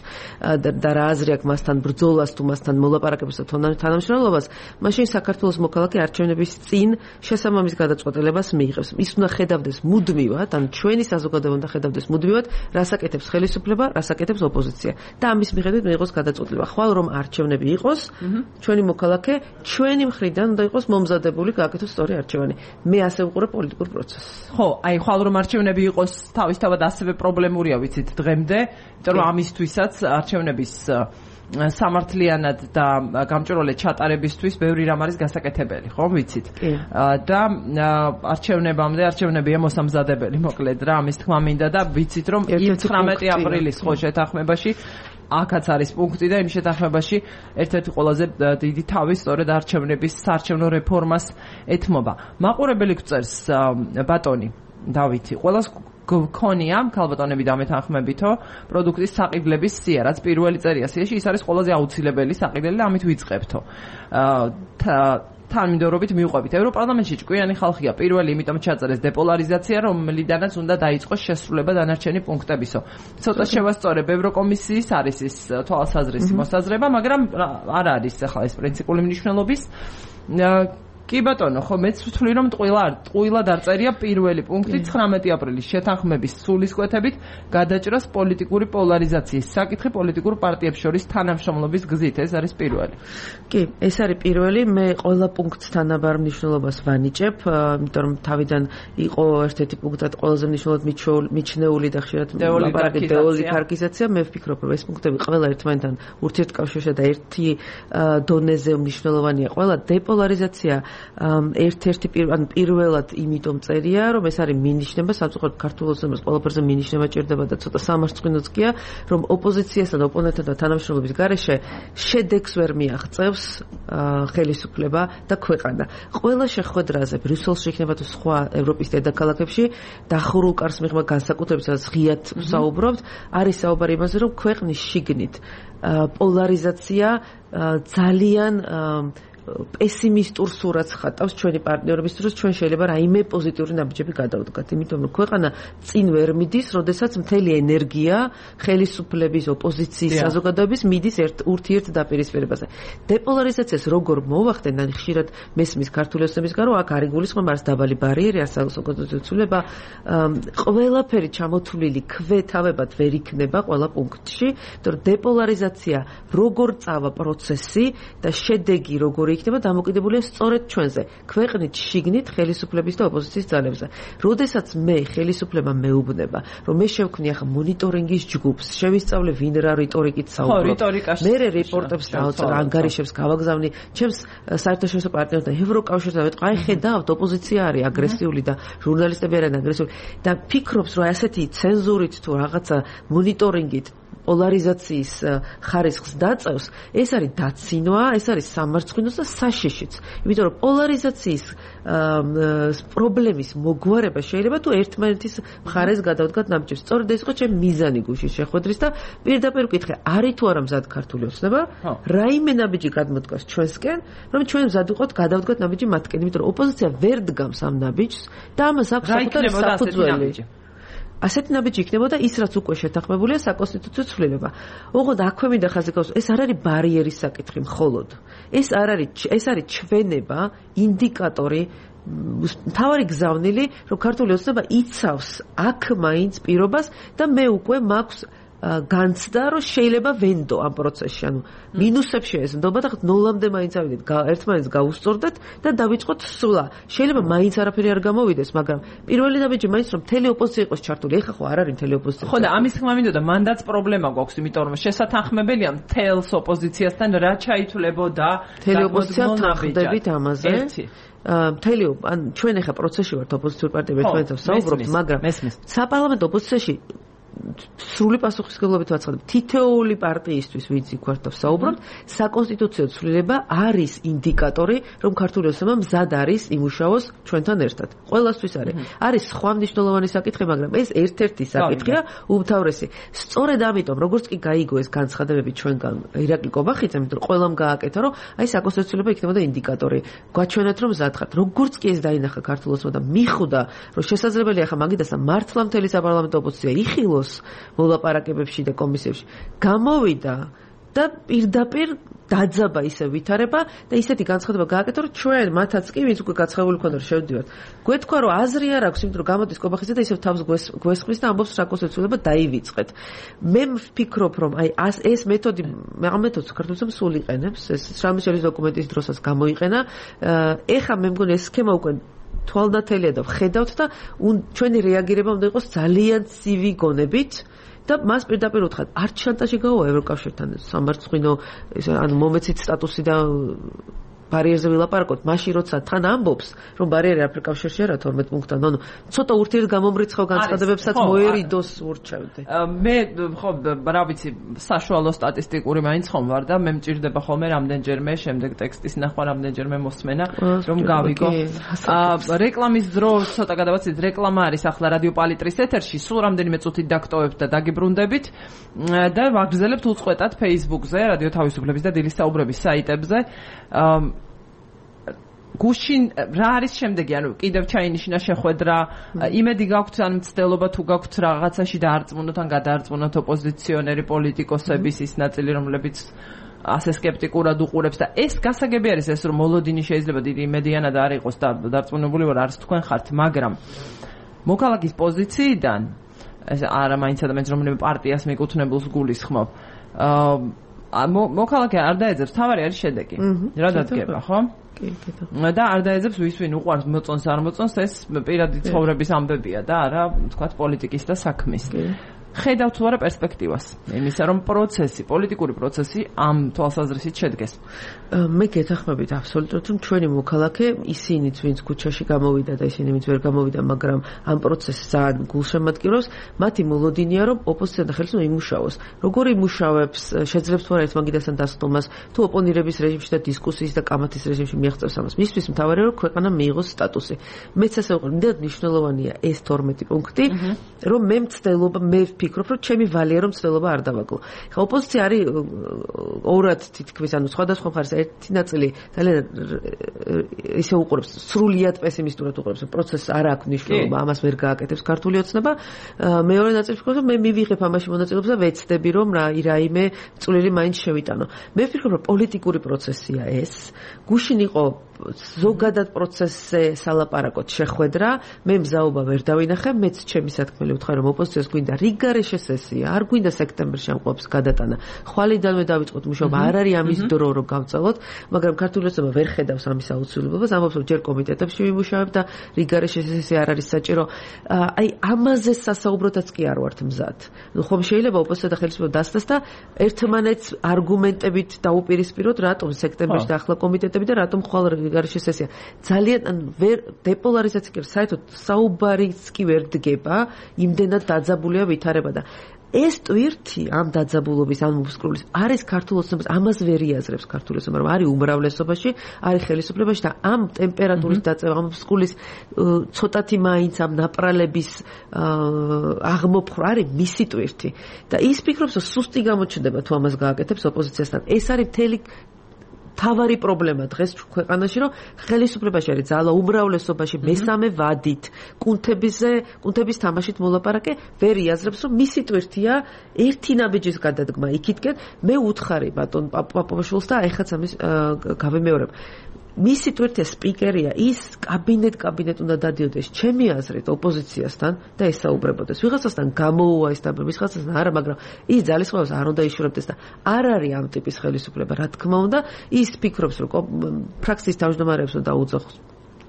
და რა აზრი აქვს მასთან ბრძოლას თუ მასთან მოლაპარაკებას და თანამშრომლობას, მაშინ საქართველოს მოქალაქე არჩევნების წინ შესაბამის გადაწყვეტილებას მიიღებს. ის უნდა ხედავდეს მუდმივად, ან ჩვენი საზოგადოება უნდა ხედავდეს მუდმივად, რას აკეთებს ხელისუფლება, რას აკეთებს ოპოზიცია. და ამის მიხედვით მიიღოს გადაწყვეტილება. ხვალ რომ არჩევნები იყოს, ჩვენი მოქალაქე ჩვენი მხრიდან უნდა იყოს მომზადებული გააკეთოს სწორი არჩევანი. მე ასე ვუყურებ პოლიტიკურ პროცესს. ხო, აი ხვალ რომ არჩევნები იყოს თავისთავად ასევე პრობლემურია ვიცით დღემდე, იმიტომ რომ ამისთვისაც არჩევნების სამართლიანად და გამჭვირვალე ჩატარებისთვის ბევრი რამ არის გასაკეთებელი, ხო, ვიცით? და არჩევნებია მოსამზადებელი, მოკლედ რა, ამის თქმა მინდა და ვიცით რომ 19 აპრილის ხო შეთანხმებაში აქაც არის პუნქტი და იმ შეთანხმებაში ერთ-ერთი ყველაზე დიდი თავი სწორედ არჩევნების საარჩევნო რეფორმას ეთმობა. მაყურებელი გვწერს ბატონი დავითი, ყველას გქონია ქალბატონები დამეთანხმებითო პროდუქტის საყიდლების სია, რაც პირველი წერია სიაში, ის არის ყველაზე აუცილებელი საყიდელი და ამით ვიწყებთო. თანმიმდევრობით მივყვებით. ევროპარლამენტში ჭკვიანი ხალხია პირველი, იმიტომ ჩაწერეს დეპოლარიზაცია, რომლიდანაც უნდა დაიწყოს შესრულება დანარჩენი პუნქტებისო. ცოტა შევასწორებ, ევროკომისიის არის ის თვალსაზრისი მოსაზრება, მაგრამ არ არის ახლა ეს პრინციპული მნიშვნელობის. კი ბატონო, ხო მეც ვთვლი რომ ტყუილა დაწერია პირველი პუნქტი 19 აპრილის შეთანხმების სულისკვეთებით გადაჭრას პოლიტიკური პოლარიზაციის საკითხი პოლიტიკურ პარტიებს შორის თანამშრომლობის გზით. ეს არის პირველი. კი, ეს არის პირველი. მე ყველა პუნქტს თანაბარ მნიშვნელობას ვანიჭებ, იმიტომ რომ თავიდან იყო ერთ-ერთი პუნქტად ყველაზე მნიშვნელოვნად მიჩნეული და ხშირად დეოლიგარქიზაცია. მე ვფიქრობ, რომ ეს პუნქტები ყველა ერთმანეთთან ურთიერთკავშირში და ერთი დონეზე მნიშვნელოვანია. ყველა დეპოლარიზაცია ერთ-ერთი პირველად იმიტომ წერია, რომ ეს არის მინიშნება, სამწუხაროდ ქართულ ოცნებას ყველაფერზე მინიშნება ჭირდება და ცოტა სამარცხვინოც გია, რომ ოპოზიციასთან და ოპონენტთან თანამშრომლობის გარეშე შედეგს ვერ მიაღწევს ხელისუფლება და ქვეყანა. ყველა შეხვედრაზე ბრიუსელში იქნება თუ სხვა ევროპის დედაქალაქებში დახურულ კარს მიღება განსაკუთრებით სადაც ღიად ვსაუბრობთ, არის საუბარი იმაზე, რომ ქვეყნის შიგნით პოლარიზაცია ძალიან პესიმისტურ სურათს ხატავს ჩვენი პარტნიორების დროს, ჩვენ შეიძლება რაიმე პოზიტიური ნაბიჯები გადავდგათ, იმიტომ რომ ქვეყანა წინ ვერ მიდის, როდესაც მთელი ენერგია ხელისუფლების, ოპოზიციის, საზოგადოების მიდის ურთიერთ დაპირისპირებაზე. დეპოლარიზაციას როგორ მოვახდენ, ან ხშირად მესმის ქართული ოცნების გარო, აქ არ იგულისხმება არც დაბალი ბარიერი, არც საზოგადოების ცვლილება, ყველაფერი ჩამოთვლილი ქვეთავებად ვერ იქნება ყველა პუნქტში, იმიტომ რომ დეპოლარიზაცია როგორ წავა პროცესი და შედეგი როგორ იქნება დამოკიდებულია სწორედ ჩვენზე, ქვეყნით შიგნით ხელისუფლების და ოპოზიციის ძალებზე. როდესაც მე ხელისუფლება მეუბნება, რომ მე შევქმნი ახლა მონიტორინგის ჯგუფს, შევისწავლე ვინ რა რიტორიკით საუბრობს. მე რეპორტებს დავწერე, ანგარიშებს გავაგზავნი, ჩემს საერთაშორისო პარტნიორთან, ევროკავშირთან ვეთყვა, აი ხედავთ, ოპოზიცია არის აგრესიული და ჟურნალისტები არიან აგრესიული და ფიქრობს, რომ ასეთი ცენზურით თუ რაღაცა მონიტორინგით პოლარიზაციის ხარისხს დაწევს, ეს არის დაცინვა, ეს არის სამარცხვინოს და საშიშიც. იმიტომ რომ პოლარიზაციის პრობლემის მოგვარება შეიძლება თუ ერთმანეთის მხარეს გადავდგათ ნაბიჯებს. სწორედ ეს იყო ჩემი მიზანი გუშინ შეხვედრის და პირდაპირ ვკითხე, არის თუ არა მზად ქართული ოცნება, რაიმე ნაბიჯი გადმოდგას ჩვენსკენ, რომ ჩვენ მზად ვიყოთ გადავდგათ ნაბიჯი მათკენ, იმიტომ რომ ოპოზიცია ვერ დგამს ამ ნაბიჯს და ამას აქვს საკუთარი საფუძველი. ასეთი ნაბიჯი იქნებოდა ის, რაც უკვე შეთანხმებულია საკონსტიტუციო ცვლილება. ოღონდ აქვე მინდა ხაზი გავუსვა, ეს არ არის ბარიერის საკითხი მხოლოდ. ეს არის ჩვენება, ინდიკატორი, მთავარი გზავნილი, რომ ქართული ოცნება იცავს აქ მაინც პირობას და მე უკვე მაქვს განცდა, რომ შეიძლება ვენდო ამ პროცესში, ანუ მინუსებში ეს ნდობა და ნოლამდე მაინც ავიდეთ, ერთმანეთს გავუსწორდეთ და დავიწყოთ სვლა. შეიძლება მაინც არაფერი არ გამოვიდეს, მაგრამ პირველი ნაბიჯი მაინც რომ მთელი ოპოზიცია იყოს ჩართული. ეხლა ხო არ არის მთელი ოპოზიცია. ხო და ამის თქმა მინდოდა, მანდაც პრობლემა გვაქვს, იმიტომ რომ შესათანხმებელია მთელს ოპოზიციასთან რა ჩაითვლებოდა მთელი ოპოზიცია თანხმდებით ამაზე. მთელი ან ჩვენ ეხლა პროცესში ვართ ოპოზიციურ პარტიებს ერთმანეთთან საუბრობთ, მაგრამ საპარლამენტო ოპოზიციაში სრული პასუხისმგებლობით ვაცხადებ, თითოეული პარტიისთვის, ვინც იქ ვართ და ვსაუბრობთ, საკონსტიტუციო ცვლილება არის ინდიკატორი, რომ ქართული ოცნება მზად არის იმუშაოს ჩვენთან ერთად. ყველასთვის არის. არის სხვა მნიშვნელოვანი საკითხი, მაგრამ ეს ერთ-ერთი საკითხია, უმთავრესი. სწორედ ამიტომ, როგორც კი გაიგო ეს განცხადებები ჩვენგან ირაკლი კობახიძემ, იმიტომ რომ ყველამ გააკეთა, რომ აი საკონსტიტუციო ცვლილება იქნებოდა ინდიკატორი. გვაჩვენეთ, რომ მზად ხართ. როგორც კი ეს დაინახა ქართულ ოცნებამ და მიხვდა, რომ შესაძლებელია ახლა მაგიდასა მართლა მთელი საპარლამენტო ოპოზიცია იხილოს მოლაპარაკებებში და კომისიებში, გამოვიდა და პირდაპირ დაძაბა ისე ვითარება და ისეთი განცხადება გააკეთა, რომ ჩვენ მათაც კი ვინც უკვე გაცხებული ქონდა რომ შევდივართ. გვეთქვა, რომ აზრი არ აქვს, იმიტომ რომ გამოდის კობახიძე და ისევ თავს გვესხვის და ამბობს საკონსტიტუციო ცვლილება დაივიწყეთ. მე ვფიქრობ, რომ აი ეს მეთოდი, ამ მეთოდს საქართველოს სულ იყენებს, ეს შრამიშელის დოკუმენტის დროსაც გამოიყენა. ეხა მე მგონი ეს სქემა უკვე თვალნათელია და ვხედავთ და ჩვენი რეაგირება უნდა იყოს ძალიან ცივი გონებით და მას პირდაპირ უთხრათ, არც შანტაჟი გაუვა ევროკავშირთან სამარცხვინო ანუ მომეცით სტატუსი და ბარიერზე ვილაპარაკოთ, მაშინ როცა თან ამბობს, რომ ბარიერი არაფერ კავშირში არა 12 პუნქტთან, ანუ ცოტა ურთიერთ გამომრიცხავ განცხადებებსაც მოერიდოს ურჩევდი. მე ხო რა ვიცი, საშუალო სტატისტიკური მაინც ხომ ვარ და მე მჭირდება ხოლმე რამდენჯერმე შემდეგ ტექსტის ნახვა, რამდენჯერმე მოსმენა, რომ გავიგო. რეკლამის დრო ცოტა გადავაცით, რეკლამა არის ახლა რადიო პალიტრის ეთერში, სულ რამდენიმე წუთით დაგტოვებთ და დაგიბრუნდებით და ვაგრძელებთ უწყვეტად Facebook-ზე, რადიო თავისუფლების და დილის საუბრების საიტებზე. გუშინ რა არის შემდეგი, ანუ კიდევ ჩაინიშნა შეხვედრა, იმედი გაქვთ ან მცდელობა თუ გაქვთ რაღაცაში დაარწმუნოთ ან გადაარწმუნოთ ოპოზიციონერი პოლიტიკოსების ის ნაწილი, რომლებიც ასე სკეპტიკურად უყურებს და ეს გასაგები არის ეს, რომ მოლოდინი შეიძლება დიდი იმედიანად არ იყოს და დარწმუნებული ვარ არც თქვენ ხართ, მაგრამ მოქალაქის პოზიციიდან ეს არა მაინც ადამიანს რომელიმე პარტიას მიკუთვნებულს გულისხმობ. მოქალაქე არ დაეძებს, თავარი არის შედეგი. რა დადგება, ხო? და არ დაეძებს ვის ვინ უყვარს მოწონს არ მოწონს, ეს პირადი ცხოვრების ამბებია და არა, თქვათ, პოლიტიკის და საქმის. ხედავთ თუ არა პერსპექტივას იმისა, რომ პოლიტიკური პროცესი ამ თვალსაზრისით შედგეს. მე გეთანხმებით აბსოლუტურად, რომ ჩვენი მოქალაქე, ისინიც ვინც ქუჩაში გამოვიდა და ისინი ვინც ვერ გამოვიდა, მაგრამ ამ პროცესს ძალიან გულშემატკივრავს, მათი მოლოდინია, რომ ოპოზიცია და ხელისუფლება იმუშაოს. როგორ იმუშავებს, შეძლებს თუ არა ეს მაგიდასთან დასწრომას, თუ ოპონირების რეჟიმში და დისკუსიის და კამათის რეჟიმში მიაღწევს ამას. მისთვის მთავარია, რომ ქვეყანა მიიღოს სტატუსი. მეც ასე ვიყავ, მდიდრად მნიშვნელოვანია ეს 12 პუნქტი, რომ მე მცდელობა, მე ვფიქრობ, რომ ჩემი ვალია რომ ცდელობა არ დავაკლო. ხა ოპოზიცია არის ორად თითქმის, ანუ სხვადასხვა მხარეს ერთი ნაწილი ძალიან ისე უყურებს, სრულიად პესიმისტურად უყურებს, რომ პროცესს არ აქვს მნიშვნელობა, ამას ვერ გააკეთებს ქართული ოცნება. მეორე ნაწილი ვფიქრობ, რომ მე მივიღებ ამაში მონაწილეობას და ვეცდები, რომ რაიმე წვლილი მაინც შევიტანო. მე ვფიქრობ, რომ პოლიტიკური პროცესია ეს. გუშინ იყო ზოგადად პროცესზე სალაპარაკოთ შეხვედრა, მე მზაობა ვერ დავინახე, მეც ჩემი სათქმელი ვთხარ, რომ ოპოზიციას გვინდა რიგგარეშე სესია, არ გვინდა სექტემბერში ამ ყოფს გადატანა. ხვალიდანვე დავიწყოთ მუშაობა, არ არის ამის დრო რომ გავწელოთ, მაგრამ ქართული ოცნება ვერ ხედავს ამის აუცილებლობას, ამბობს რომ ჯერ კომიტეტებში ვიმუშავებ და რიგგარეშე სესია არ არის საჭირო. აი ამაზე სასაუბროდაც კი არ ვართ მზად. ნუ ხომ შეიძლება ოპოზიცია და ხელისუფლება დასწრას და ერთმანეთს არგუმენტებით დაუპირისპიროთ, რატომ სექტემბერში და ახლა კომიტეტები და რატომ ხვალ რიგგარეშე სესია. ძალიან ვერ დეპოლარიზაცია კი საერთოდ საუბარიც კი ვერ დგება, იმდენად დაძაბულია ვითარება და ეს ტვირთი ამ დაძაბულობის, ამ მოსკრულის არის ქართულ ოცნებას, ამას ვერ იაზრებს ქართული ოცნება, რომ არის უმრავლესობაში, არის ხელისუფლებაში და ამ ტემპერატურის დაწევა, ამ მოსკრულის ცოტათი მაინც ამ ნაპრალების აღმოფხვრა არის მისი ტვირთი და ის ფიქრობს, რომ სუსტი გამოჩნდება თუ ამას გააკეთებს ოპოზიციასთან. ეს არის მთელი თავარი პრობლემა დღეს ქვეყანაში, რომ ხელისუფლებაში არის ძალა უმრავლესობაში მესამე ვადით, კუნთების თამაშით მოლაპარაკე ვერ იაზრებს, რომ მისი ტვირთია ერთი ნაბიჯის გადადგმა იქითკენ. მე უთხარი ბატონ პაპოვაშვილს და ეხაც ამის გავემეორებ. მისი ტვირთია სპიკერია, ის კაბინეტ უნდა დადიოდეს ჩემი აზრით ოპოზიციასთან და ესაუბრებოდეს. ვიღაცასთან გამოუვა ეს დაბა, ვიღაცასთან არა, მაგრამ ის ძალისხმევას არ უნდა იშურებდეს და არ არის ამ ტიპის ხელისუფლება, რა თქმა უნდა. ის ფიქრობს, რომ ფრაქციის თავმჯდომარეებს უნდა უძახოს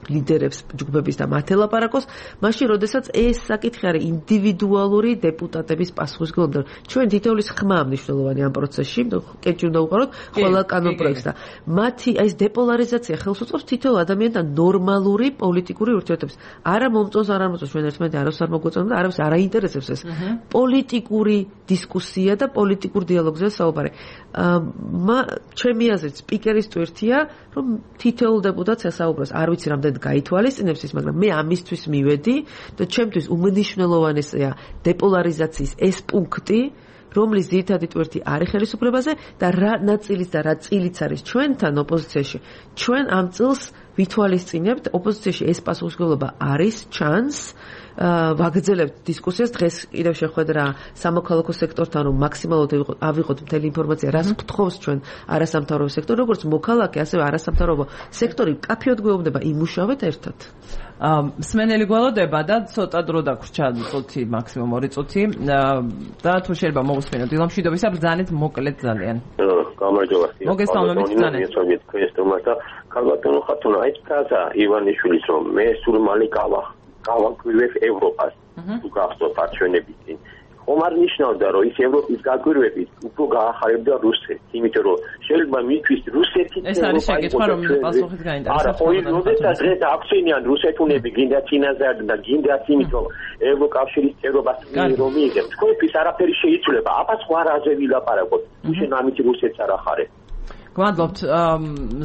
ლიდერებს ჯგუფების და მათ ელაპარაკოს, მაშინ როდესაც ეს საკითხი არის ინდივიდუალური დეპუტატების პასუხისმგებლობა. ჩვენ თითოეულის ხმა მნიშვნელოვანი ამ პროცესში, კეჭი უნდა უყაროთ ყველა კანონპროექტს და მათი ეს დეპოლარიზაცია ხელს უწყობს თითოეულ ადამიანთან ნორმალური პოლიტიკური ურთიერთობებს. არა მომწონს, არა მომწონს, ჩვენ ერთმანეთს არავის არ მოგვეწონა და არავის არ აინტერესებს ეს პოლიტიკური დისკუსია და პოლიტიკურ დიალოგზე საუბარი. ჩემი აზრით სპიკერის ტვირთია, რომ თითოეულ დეპუტატს ესაუბროს, არ ვიცი რამდენი გაითვალისწინებს ის, მაგრამ მე ამისთვის მივედი და ჩემთვის უმნიშვნელოვანესია დეპოლარიზაციის ეს პუნქტი, რომლის ძირითადი ტვირთი არის ხელისუფლებაზე და რა ნაწილიც და რა წილიც არის ჩვენთან ოპოზიციაში. ჩვენ ამ წილს ვითვალისწინებთ, ოპოზიციაში ეს პასუხისმგებლობა არის, ჩანს, ვაგრძელებთ დისკუსიას. დღეს კიდევ შეხვედრა სამოქალაქო სექტორთან, რომ მაქსიმალურად ავიღოთ მთელი ინფორმაცია, რას გთხოვს ჩვენ არასამთავრობო სექტორი, როგორც მოქალაქე, ასევე არასამთავრობო სექტორი კაფეოდ გვეუბნება, იმუშავეთ ერთად. მსმენელი გველოდება და ცოტა დრო დაგვრჩა, წუთი, მაქსიმუმ 2 წუთი და თუ შეიძლება მოვუსმინოთ დილამშვიდობისა, ბრძანეთ მოკლედ ძალიან. გამარჯობა. მოგესალმებით ბრძანეთ. ქალბატონო ხათუნა, აი ფრაზა ივანიშვილის, რომ მე სულ მალე გავაკვირვებ ევროპას. თუ გახსოვთ არჩევნების წინ. ხომ არ ნიშნავდა რომ ის ევროპის გაკვირვებით უფრო გაახარებდა რუსეთს, იმიტომ რომ შეიძლება მისთვის რუსეთით ეს არის შეკითხვა, რომელიც პასუხით გაინტერესებს. არა, როდესაც დღეს აქცენიან რუსეთუნები გინდა წინაზარდა და გინდა იმიტომ ევროკავშირის წევრობას რომ მიიღებს. თქვენთვის არაფერი შეიძლება. აბა სხვა რაზე ვილაპარაკოთ. უშენ ამით რუსეთს არ ახარებ. გვადლობთ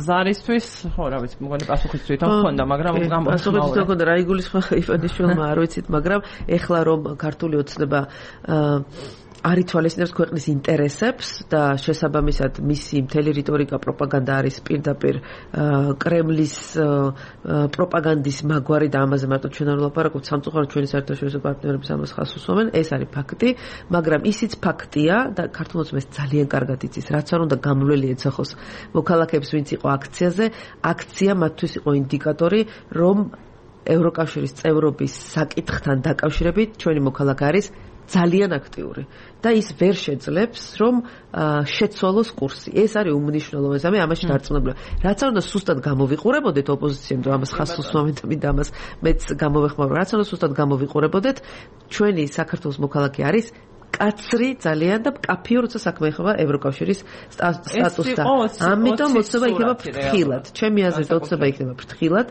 ზარისთვის, ხო რა ვიცი, მგონი პასუხიც თვითონ ხონდა, მაგრამ პასუხიც თვითონ ხონდა, რა იგულისხმება ივანიშვილმა, არ ვიცით, მაგრამ ეხლა რომ ქართული ოცნება არ ითვალისწინებს ქვეყნის ინტერესებს და შესაბამისად მისი მთელი რიტორიკა პროპაგანდა არის პირდაპირ კრემლის პროპაგანდის მაგვარი და ამაზე მარტო ჩვენ არ ვლაპარაკობთ, სამწუხაროდ ჩვენი საერთაშორისო პარტნიორების ამას ხაზს უსვამენ, ეს არის ფაქტი, მაგრამ ისიც ფაქტია და ქართულ ოცნებას ძალიან კარგად იცის, რაც არ უნდა გამვლელი ეცახოს მოქალაქეებს, ვინც იყო აქციაზე, აქცია მათთვის იყო ინდიკატორი, რომ ევროკავშირის წევრობის საკითხთან დაკავშირებით ჩვენი მოქალაქე არის ძალიან აქტიური და ის ვერ შეძლებს რომ შეცვალოს კურსი. ეს არის უმნიშვნელოვანესი. მე ამაში დარწმუნებული. რაც არ უნდა სუსტად გამოვიყურებოდეთ ოპოზიციამ და ამას ხაზს უსვამენ და მინდა ამას მეც გამოვეხმაურებ. რაც არ უნდა სუსტად გამოვიყურებოდეთ, ჩვენი საქართველოს მოქალაქე არის კაცრი ძალიან და კაფიო როცა საქმე ეხება ევროკავშირის სტატუსთან. ამიტომ ოცნება იქნება ფრთხილად. ჩემი აზრით ოცნება იქნება ფრთხილად.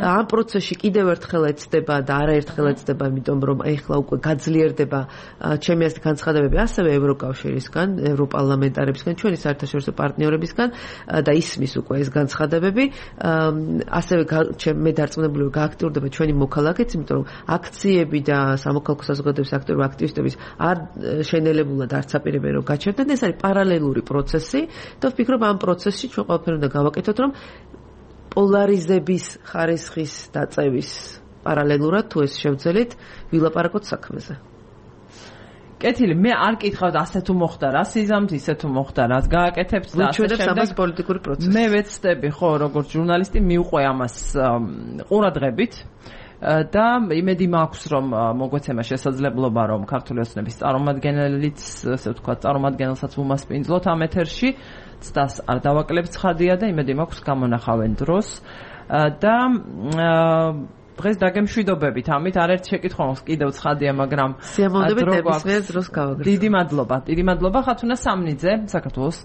ამ პროცესში კიდევ ერთხელ ეცდება და არაერთხელ ეცდება, იმიტომ რომ ეხლა უკვე გაძლიერდება ჩემი აზრით განცხადებები ასევე ევროკავშირისგან, ევროპარლამენტარებისგან, ჩვენი საერთაშორისო პარტნიორებისგან და ისმის უკვე ეს განცხადებები. ასევე მე დარწმუნებული ვარ გააქტიურდება ჩვენი მოქალაქეც, იმიტომ რომ აქციები და სამოქალაქო საზოგადოების აქტიური აქტივისტების არ შენელებულად არც აპირებენ რომ გაჩერდნენ, ეს არის პარალელური პროცესი და ვფიქრობ ამ პროცესში ჩვენ ყველაფერი უნდა გავაკეთოთ, რომ პოლარიზების ხარისხის დაწევის პარალელურად თუ ეს შევძელით ვილაპარაკოთ საქმეზე. კეთილი, მე არ კითხავთ ასე თუ მოხდა რა სიზამთ, ისე თუ მოხდა რაც გააკეთებთ და ასე შემდეგ პოლიტიკური პროცესი. მე ვეცდები ხო როგორც ჟურნალისტი მივყვე ამას ყურადღებით. და იმედი მაქვს რომ მოგვეცემა შესაძლებლობა რომ ქართული ოცნების წარმომადგენელიც ასე ვთქვათ წარმომადგენელსაც უმასპინძლოთ ამ ეთერში ცდას არ დავაკლებთ ცხადია და იმედი მაქვს გამონახავენ დროს და დღეს დაგემშვიდობებით ამით არაერთ შეკითხვა მაქვს კიდევ ცხადია მაგრამ სიამოვნებით ნებისმიერ დროს გავაგრძელოთ. დიდი მადლობა ხათუნა სამნიძე საქართველოს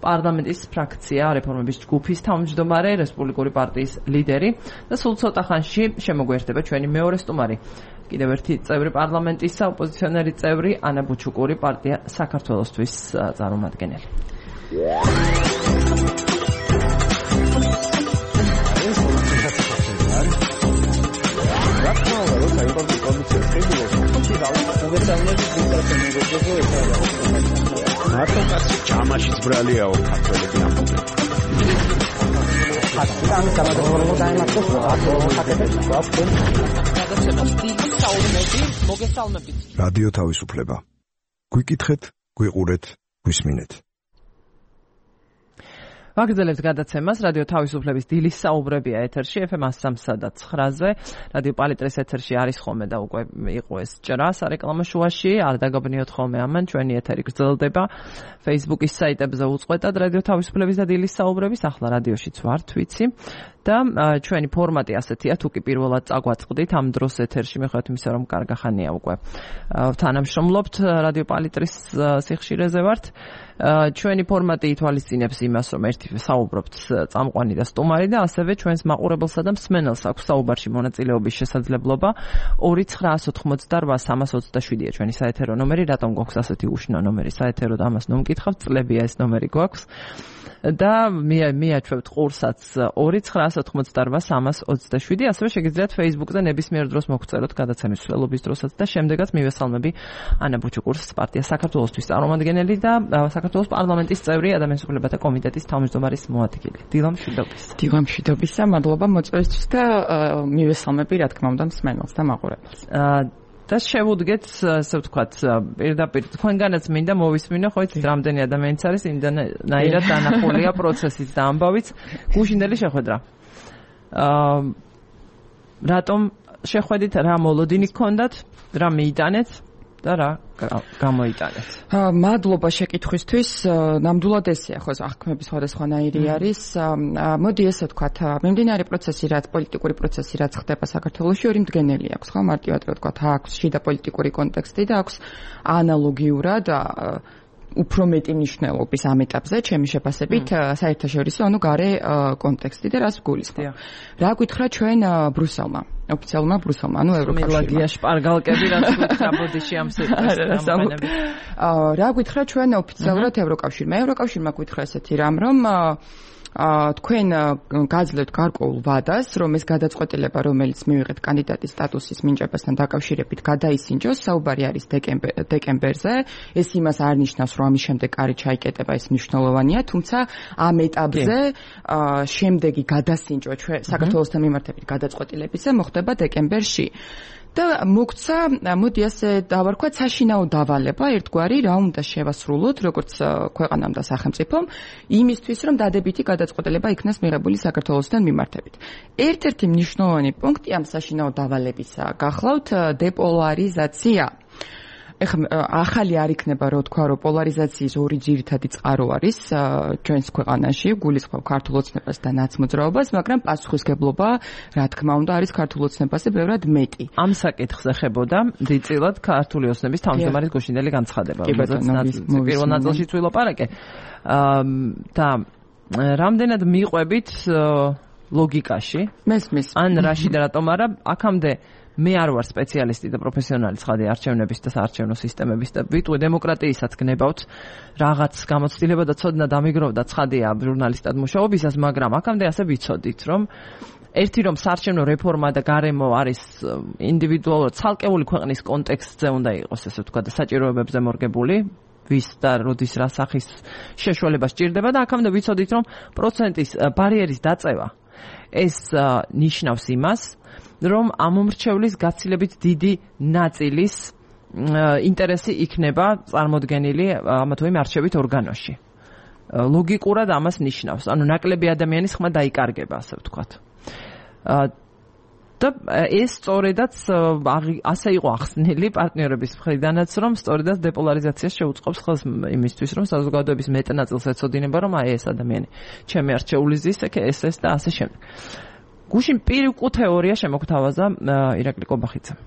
პარლამენტის ფრაქცია რეფორმების ჯგუფის თავმჯდომარე რესპუბლიკური პარტიის ლიდერი და სულ ცოტა ხანში შემოგვიერთდება ჩვენი მეორე სტუმარი კიდევ ერთი წევრი პარლამენტისა ოპოზიციონერი წევრი ანა ბუჩუკური პარტია საქართველოსთვის წარმომადგენელი. მარტო კაცი ჯამაშიც ბრალიაო ქართველები ამბობენ. რადიო თავისუფლება. გვიკითხეთ, გვიყურეთ, გვისმინეთ. ვაგრძელებთ გადაცემას რადიო თავისუფლების დილის საუბრებია ეთერში FM 103.9-ზე რადიო პალიტრის ეთერში არის ხოლმე და უკვე იყო ეს ჭრა სარეკლამო შუაში არ დაგაბნიოთ ხოლმე ამან ჩვენი ეთერი გრძელდება Facebook-ის საიტებზე უწყვეტად რადიო თავისუფლების და დილის საუბრების ახლა რადიოშიც ვართ ვიცი და ჩვენი ფორმატი ასეთია თუ კი პირველად წაგვაწყდით ამ დროს ეთერში მიხვდეთ იმისა რომ კარგახანია უკვე თანამშრომლობთ რადიო პალიტრის სიხშირეზე ვართ ჩვენი ფორმატი ითვალისწინებს იმას რომ ერთი საუბრობთ წამყვანი და სტუმარი და ასევე ჩვენს მაყურებელსა და მსმენელს აქვს საუბარში მონაწილეობის შესაძლებლობა 2988327-ია ჩვენი საეთერო ნომერი რატომ გვაქვს ასეთი უშნო ნომერი საეთერო და ამას ნომკითხავთ წლებია ეს ნომერი გვაქვს და მიაჩვევთ ყურსაც 2988327 ასევე შეგიძლიათ Facebook-ზე ნებისმიერ დროს მოგწეროთ გადაცემის მსვლელობის დროსაც და შემდეგაც მივესალმები ანა ბუჩუკურს პარტია საქართველოსთვის წარმომადგენელი და საქართველოს პარლამენტის წევრი ადამიანის უფლებათა კომიტეტის თავმჯდომარის მოადგილე. დილამშვიდობისა, მადლობა მოწვევისთვის და მივესალმები რა თქმა უნდა მსმენელს და მაყურებელს. და შევუდგეთ, ასე ვთქვათ, პირდაპირ თქვენგანაც მინდა მოვისმინო, ხო იცით, რამდენი ადამიანიც არის, იმდანაირად დანახულია პროცესიც და ამბავიც, გუშინდელი შეხვედრა. რატომ შეხვედით, რა მოლოდინი გქონდათ, რა მიიტანეთ და რა გამოიტანეთ. მადლობა შეკითხვისთვის. ნამდვილად ესეა, ხო, აღქმების სხვადასხვანაირი არის. მოდი ესე ვთქვათ, მიმდინარე პროცესი, რაც პოლიტიკური პროცესი, რაც ხდება საქართველოში, ორი მდგენელი აქვს, ხო, მარტივად რა ვთქვათ, აქვს შიდა პოლიტიკური კონტექსტი და აქვს ანალოგიურად უფრო მეტი მნიშვნელობის ამ ეტაპზე, ჩემი შეფასებით, საერთაშორისო, ანუ გარე კონტექსტი და რას გულისხმობ. რა გითხრა ჩვენ ბრუსელმა, ოფიციალურმა ბრუსელმა, ანუ ევროკავშირმა. მილადია შპარგალკები რაც გითხრა ბოდიში ამ სიტყვას. რა გითხრა ჩვენ ოფიციალურად ევროკავშირმა. ევროკავშირმა გითხრა ესეთი რამ, რომ თქვენ გაძლევთ გარკვეულ ვადას, რომ ეს გადაწყვეტილება, რომელიც მივიღეთ კანდიდატის სტატუსის მინიჭებასთან დაკავშირებით, გადაისინჯოს. საუბარი არის დეკემბერზე. ეს იმას არ ნიშნავს, რომ ამის შემდეგ კარი ჩაიკეტება, ეს მნიშვნელოვანია, თუმცა ამ ეტაპზე შემდეგი გადასინჯვა საქართველოსთან მიმართებით გადაწყვეტილებისა მოხდება დეკემბერში. და მოგცა, მოდი ასე დავარქვათ, საშინაო დავალება, ერთგვარი რა უნდა შევასრულოთ, როგორც ქვეყანამ და სახელმწიფომ, იმისთვის, რომ დადებითი გადაწყვეტილება იქნას მიღებული საქართველოსთან მიმართებით. ერთ-ერთი მნიშვნელოვანი პუნქტი ამ საშინაო დავალებისა გახლავთ დეპოლარიზაცია. ეხლა ახალი არ იქნება, რო თქვა, რომ პოლარიზაციის ორი ძირითადი წყარო არის ჩვენს ქვეყანაში, გულისხმობ ქართულ ოცნებას და ნაცმოძრაობას, მაგრამ პასუხისგებლობა, რა თქმა უნდა, არის ქართულ ოცნებაზე ბევრად მეტი. ამ საკითხს ეხებოდა დიდწილად ქართული ოცნების თავმჯდომარის გუშინდელი განცხადება, რომელზეც პირველ ნაწილში ვილაპარაკე. და რამდენად მიყვებით ლოგიკაში? მესმის. ან რაში და რატომ არა, აქამდე მე არ ვარ სპეციალისტი და პროფესიონალი ცხადი არჩევნების და საარჩევნო სისტემების და ვიტყვი დემოკრატიისაც გნებავთ რაღაც გამოცდილება და ცოდნა დამიგროვდა ცხადია ჟურნალისტად მუშაობისას, მაგრამ აქამდე ასე ვიცოდით, რომ ერთი რომ საარჩევნო რეფორმა და გარემო არის ინდივიდუალურად ცალკეული ქვეყნის კონტექსტზე უნდა იყოს, ესე ვთქვათ, და საჭიროებებზე მორგებული, ვის და როდის რა სახის შეშველება სჭირდება და აქამდე ვიცოდით, რომ პროცენტის ბარიერის დაწევა ეს ნიშნავს იმას, რომ ამომრჩევლის გაცილებით დიდი ნაწილის ინტერესი იქნება წარმოდგენილი ამა თუ იმ არჩევით ორგანოში. ლოგიკურად ამას ნიშნავს. ანუ ნაკლები ადამიანის ხმა დაიკარგება, ასე ვთქვათ. და ეს სწორედაც ასე იყო ახსნილი პარტნიორების მხრიდანაც, რომ სწორედაც დეპოლარიზაციას შეუწყობს ხელს იმისთვის, რომ საზოგადოების მეტ ნაწილს ეცოდინება, რომ აი ეს ადამიანი ჩემი არჩეული ზის, ეს და ასე შემდეგ. გუშინ პირუკუ თეორია შემოგთავაზა ირაკლი კობახიძემ.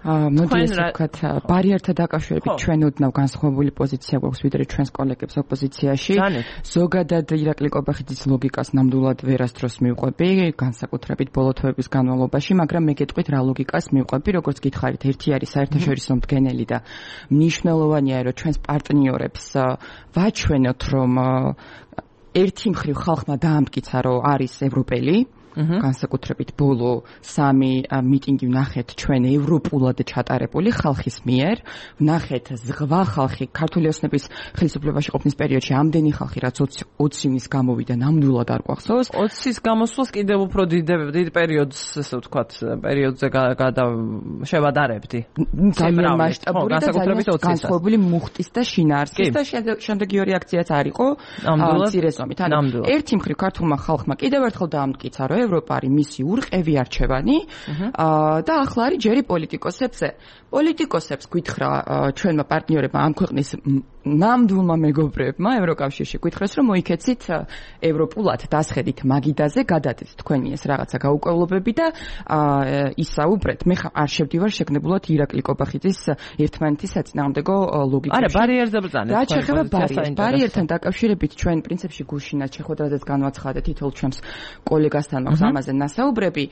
მოდი ესე ვთქვათ, ბარიერთა დაკავშირებით ჩვენ ოდნავ განსხვავებული პოზიცია გვაქვს ვიდრე ჩვენს კოლეგებს ოპოზიციაში. ზოგადად ირაკლი კობახიძის ლოგიკას ნამდვილად ვერასდროს მივყვები, განსაკუთრებით ბოლო თვეების განმავლობაში, მაგრამ მე გეტყვით რა ლოგიკას მივყვები, როგორც გითხარით, ერთი არის საერთაშორისო მდგენელი და მნიშვნელოვანია, რომ ჩვენს პარტნიორებს ვაჩვენოთ, რომ ერთი მხრივ ხალხმა დაამტკიცა, რომ არის ევროპელი, განსაკუთრებით ბოლო 3 მიტინგი ვნახეთ ჩვენ ევროპულად ჩატარებული ხალხის მიერ, ვნახეთ ზღვა ხალხი ქართული ოცნების ხელისუფლებაში ყოფნის პერიოდში ამდენი ხალხი, რაც 20 ივნის გამოვიდა, ნამდვილად არ გვახსოვს. 20-ის გამოსვლას კიდევ უფრო დიდ პერიოდს, ესე ვთქვათ, პერიოდზე შევადარებდი. ძალიან მასშტაბური და ძალიან განსხვავებული მუხტის და შინაარსის და შემდეგი რეაქციაც არ იყო მცირე ზომით. ანუ ერთი მხრივ ქართულმა ხალხმა კიდევ ერთხელ დაამტკიცა, რომ ევროპა არის მისი ურყევი არჩევანი და ახლა არის ჯერი პოლიტიკოსებზე. პოლიტიკოსებს გითხრა ჩვენმა პარტნიორებმა ამ ქვეყნის ნამდვილმა მეგობრებმა ევროკავშირში გითხრეს, რომ მოიქეცით ევროპულად დასხედით მაგიდაზე, გადადეთ თქვენი ეს რაღაცა გაუკვლობები და ისაუბრეთ. მე არ შევდივარ შეგნებულად ირაკლი კობახიძის ერთმანეთის საწინააღმდეგო ლოგიკაში. არა, ბარიერზე ბრძანეთ. რა შეეხება ბარიერთან დაკავშირებით ჩვენ პრინციპში გუშინაც შეხვედრაზეც განვაცხადეთ თითოეულ ჩვენს კოლეგასთან მაქვს ამაზე ნასაუბრები.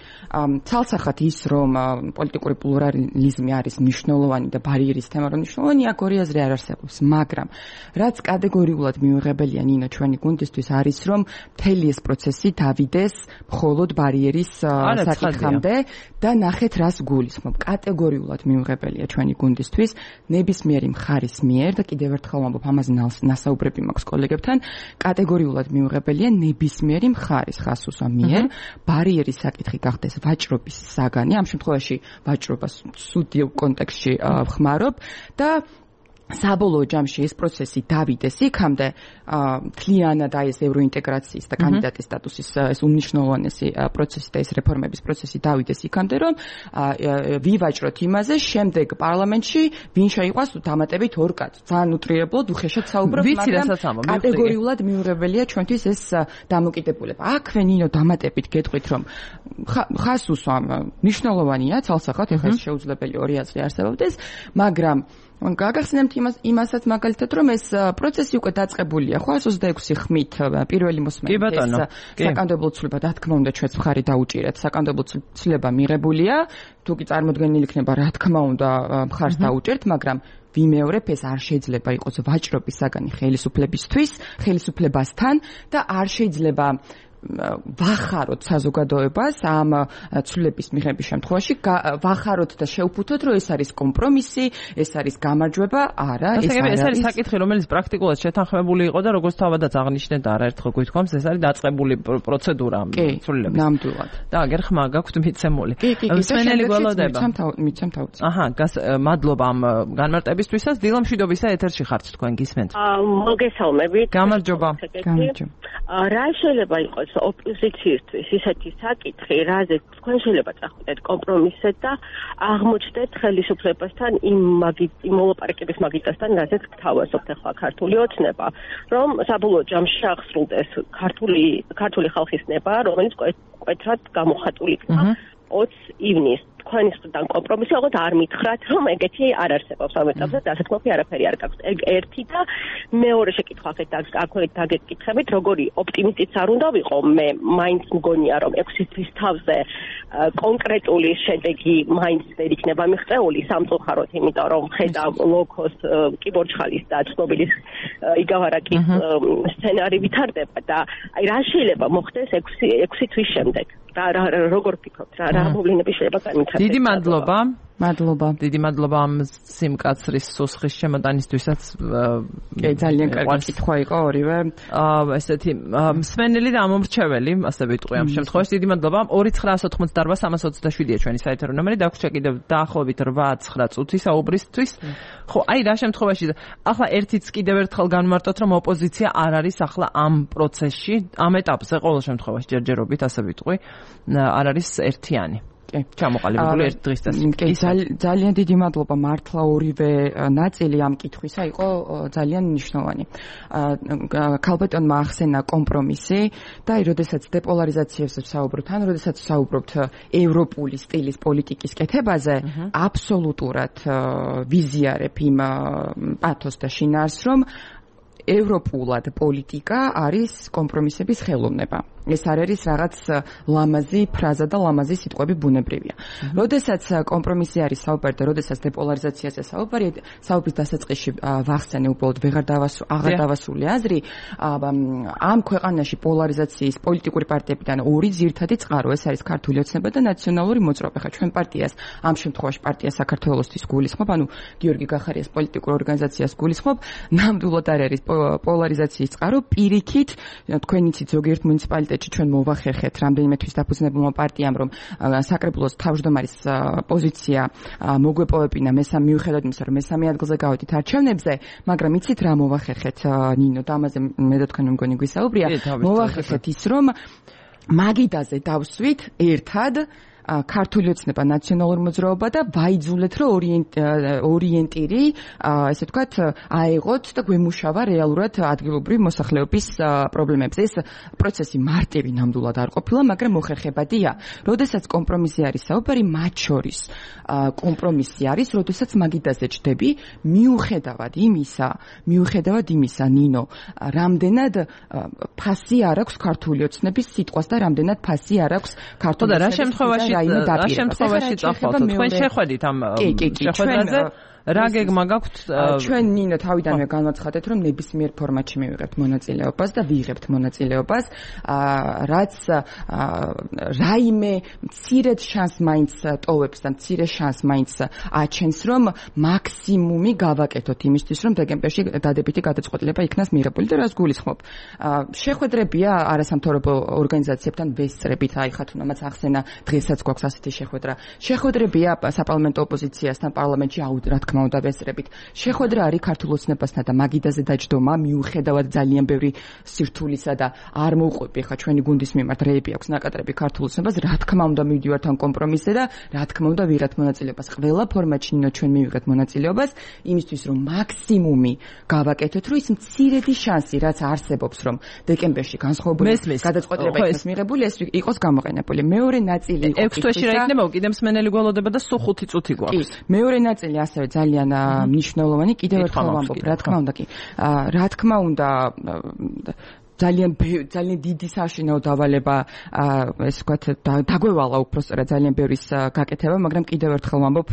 ცალსახად ის, რომ პოლიტიკური პლურალიზმი არის მნიშვნელოვანი და ბარიერის თემა რომ მნიშვნელოვანი, აქ ორი აზრი არ არსებობს, მაგრამ რაც კატეგორიულად მიუღებელია ნინო ჩვენი გუნდისთვის არის, რომ მთელი ეს პროცესი დავიდეს მხოლოდ ბარიერის საკითხამდე და ნახეთ რას გულისხმობ. კატეგორიულად მიუღებელია ჩვენი გუნდისთვის ნებისმიერი მხარის მიერ და კიდევ ერთხელ ვამბობ, ამაზე ნასაუბრები მაქვს კოლეგებთან, კატეგორიულად მიუღებელია ნებისმიერი მხარის ხასუსა მიერ ბარიერის საკითხი გახდეს ვაჭრობის საგანი, ამ შემთხვევაში ვაჭრობას სუდიო კონტექსტში ვხმარობ და საბოლოო ჯამში ეს პროცესი დავიდეს იქამდე თლიანად აი ეს ევროინტეგრაციის და კანდიდატის სტატუსის ეს უნიშნულოვანესი პროცესი და ეს რეფორმების პროცესი დავიდეს იქამდე რომ ვივაჭროთ იმაზე შემდეგ პარლამენტში ვინ შეიყვას დამატებით ორ კაცს ძალიან უტრირებლად უხეშად საუბრობ მაგრამ კატეგორიულად მიუღებელია ჩვენთვის ეს დამოკიდებულება აქვე ნინო დამატებით გეტყვით რომ ხას უსვამ მნიშვნელოვანია ცალსახად ეხლა ეს შეუძლებელი ორი აზრი არსებობდეს მაგრამ გაგახსენებთ იმასაც მაგალითად რომ ეს პროცესი უკვე დაწყებულია ხო 126 ხმით პირველი მოსმენით ეს საკანონმდებლო ცვლილება რა თქმა უნდა ჩვენს მხარი დაუჭირეთ საკანონმდებლო ცვლილება მიღებულია თუ კი წარმოქმნილი იქნება რა თქმა უნდა მხარს დაუჭერთ მაგრამ ვიმეორებ ეს არ შეიძლება იყოს ვაჭრობის საგანი ხელისუფლებასთან და არ შეიძლება ვახაროთ საზოგადოებას ამ ცვლილების მიღების შემთხვევაში ვახაროთ და შევფუთოთ რომ ეს არის კომპრომისი ეს არის გამარჯვება არა ეს არის საკითხი რომელიც პრაქტიკულად შეთანხმებული იყო და როგორც თავადაც აღნიშნეთ არაერთხელ გვითხოვს ეს არის დაწყებული პროცედურა ცვლილების ნამდვილად და აგერ ხმა გაქვთ მიცემული მსმენელი გველოდება მიცემ თავი აჰა მადლობა ამ განმარტებისთვისაც დილა მშვიდობისა ეთერში ხართ თქვენ გისმენთ მოგესალმებით გამარჯობა რა შეიძლება იყოს ოპოზიციისთვის ისეთი საკითხი, რაზეც თქვენ შეიძლება წახვიდეთ კომპრომისზე და აღმოჩნდეთ ხელისუფლებასთან იმ მოლაპარაკების მაგიდასთან, რაზეც გთავაზობთ ახლა ქართული ოცნება, რომ საბოლოო ჯამში აღსრულდეს ქართული ხალხის ნება, რომელიც მკვეთრად გამოხატული იქნება 20 ივნისს. თქვენი მხრიდან კომპრომისი აღოთ არ მითხრათ, რომ ეგეთი არ არსებობს ამ ეტაპზე, დასაქმები არაფერი არ გაქვს. ერთი და მეორე შეკითხვა აქვე დაგეკითხებით, როგორი ოპტიმისტიც არ უნდა ვიყო, მე მაინც მგონია, რომ 6 თვის თავზე კონკრეტული შედეგი მაინც ვერ იქნება მიღწეული სამწუხაროდ, იმიტომ რომ ხედავ ლოქოს კიბორჩხალის და ცნობილის იგავარაკის სცენარი ვითარდება და აი რა შეიძლება მოხდეს 6 თვის შემდეგ. როგორ ფიქრობთ, რა მოვლენები შეიძლება განვითარდეს? დიდი მადლობა. დიდი მადლობა ამ სიმკაცრის სუსხის შემოტანისთვისაც. ძალიან კარგი კითხვა იყო ორივე. ესეთი მსმენელი და ამომრჩეველი, ასე ვიტყვი ამ შემთხვევაში. დიდი მადლობა. 2988-327-ია ჩვენი საეთერო ნომერი. დაგვრჩა კიდევ დაახლოებით 8-9 წუთი საუბრისთვის. ხო, აი რა შემთხვევაში ახლა ერთიც კიდევ ერთხელ განმარტოთ, რომ ოპოზიცია არ არის ახლა ამ პროცესში, ამ ეტაპზე ყოველ შემთხვევაში ჯერჯერობით, ასე ვიტყვი, არ არის ერთიანი. ჩამოყალიბებული ერთ დღის და ძალიან დიდი მადლობა მართლა ორივე ნაწილი ამ კითხვისა იყო ძალიან მნიშვნელოვანი. ქალბატონმა ახსენა კომპრომისი და აი როდესაც დეპოლარიზაციაზე ვსაუბრობთ, ან როდესაც ვსაუბრობთ ევროპული სტილის პოლიტიკის კეთებაზე, აბსოლუტურად ვიზიარებ იმ პათოსს და შინაარსს, რომ ევროპულად პოლიტიკა არის კომპრომისების ხელოვნება. ეს არ არის რაღაც ლამაზი ფრაზა და ლამაზი სიტყვები ბუნებრივია. როდესაც კომპრომისი არის საუბარი და როდესაც დეპოლარიზაციაზე საუბრის დასაწყისში ვახსენე უბრალოდ აღარ დავასრულე აზრი, ამ ქვეყანაში პოლარიზაციის პოლიტიკური პარტიებიდან ორი ძირითადი წყარო, ეს არის ქართული ოცნება და ნაციონალური მოძრაობა. ხა ჩვენ პარტიას, ამ შემთხვევაში პარტია საქართველოსთვის გულისხმობ, ანუ გიორგი გახარიას პოლიტიკურ ორგანიზაციას გულისხმობ, ნამდვილად არ არის პოლარიზაციის წყარო, პირიქით, თქვენ იცით ზოგიერთ მუნიციპალიტეტში ჩვენ მოვახერხეთ რამდენიმე თვის დაფუძნებულმა პარტიამ, რომ საკრებულოს თავმჯდომარის პოზიცია მოგვეპოვებინა მიუხედავად იმისა, რომ მესამე ადგილზე გავედით არჩევნებზე, მაგრამ იცით რა მოვახერხეთ ნინო და ამაზე მე და თქვენ მგონი გვისაუბრია, მოვახერხეთ ის, რომ მაგიდაზე დავსვით ერთად ქართული ოცნება ნაციონალური მოძრაობა და ვაიძულეთ, რომ ორიენტირი, ესე ვთქვათ, აეღოთ და გვემუშავა რეალურად ადგილობრივი მოსახლეობის პრობლემებზე. ეს პროცესი მარტივი ნამდვილად არ ყოფილა, მაგრამ მოხერხებადია. როდესაც კომპრომისი არის საუბარი, მათ შორის კომპრომისი არის, როდესაც მაგიდაზე ჩდები, მიუხედავად იმისა, ნინო, რამდენად ფასი არ აქვს ქართული ოცნების სიტყვას და რამდენად ფასი არ აქვს ქართული ოცნების რა შემთხვევაში წახვალთ? თქვენ შეხვედით ამ შეხვედრაზე? რა გეგმა გაქვთ? ჩვენ ნინო თავიდანვე განვაცხადეთ, რომ ნებისმიერ ფორმატში მივიღებთ მონაწილეობას და ვიღებთ მონაწილეობას, რაც რაიმე მცირედ შანსს მაინც ტოვებს და მცირე შანსს მაინც აჩენს, რომ მაქსიმუმი გავაკეთოთ იმისთვის, რომ დეკემბერში დადებითი გადაწყვეტილება იქნას მიღებული და რას გულისხმობ. შეხვედრებია არასამთავრობო ორგანიზაციებთან ვესწრებით, აი ხათუნამაც ახსენა დღესაც გვაქვს ასეთი შეხვედრა. შეხვედრებია საპარლამენტო ოპოზიციასთან პარლამენტში, რა თქმა თქმა უნდა ვესწრებით. შეხვედრა არის ქართულ ოცნებასთან და მაგიდაზე დაჯდომა, მიუხედავად ძალიან ბევრი სირთულისა და არ მოუყვები ხა ჩვენი გუნდის მიმართ რეები აქვს ნაკადრები ქართულ ოცნებას, რა თქმა უნდა მივდივართ ამ კომპრომისზე და რა თქმა უნდა ვიღებთ მონაწილეობას. ყველა ფორმატში ნინო ჩვენ მივიღეთ მონაწილეობას იმისთვის რომ მაქსიმუმი გავაკეთოთ, რომ ის მცირედი შანსი რაც არსებობს რომ დეკემბერში განსხვავებული გადაწყვეტილება იქნას მიღებული, ეს იყოს გამოყენებული. მეორე ნაწილი იყო 6 თვეში რა იქნება, კიდევ მსმენელი გველოდება და სულ 5 წუთი გვაქვს. მეორე ნაწილი ასევე ძალიან მნიშვნელოვანი, კიდევ ერთხელ ვამბობ, რა თქმა უნდა კი. რა თქმა უნდა ძალიან დიდი საშინაო დავალება ეს ვთქვათ დაგვევალა უბრალოდ ძალიან ბევრის გაკეთება, მაგრამ კიდევ ერთხელ ვამბობ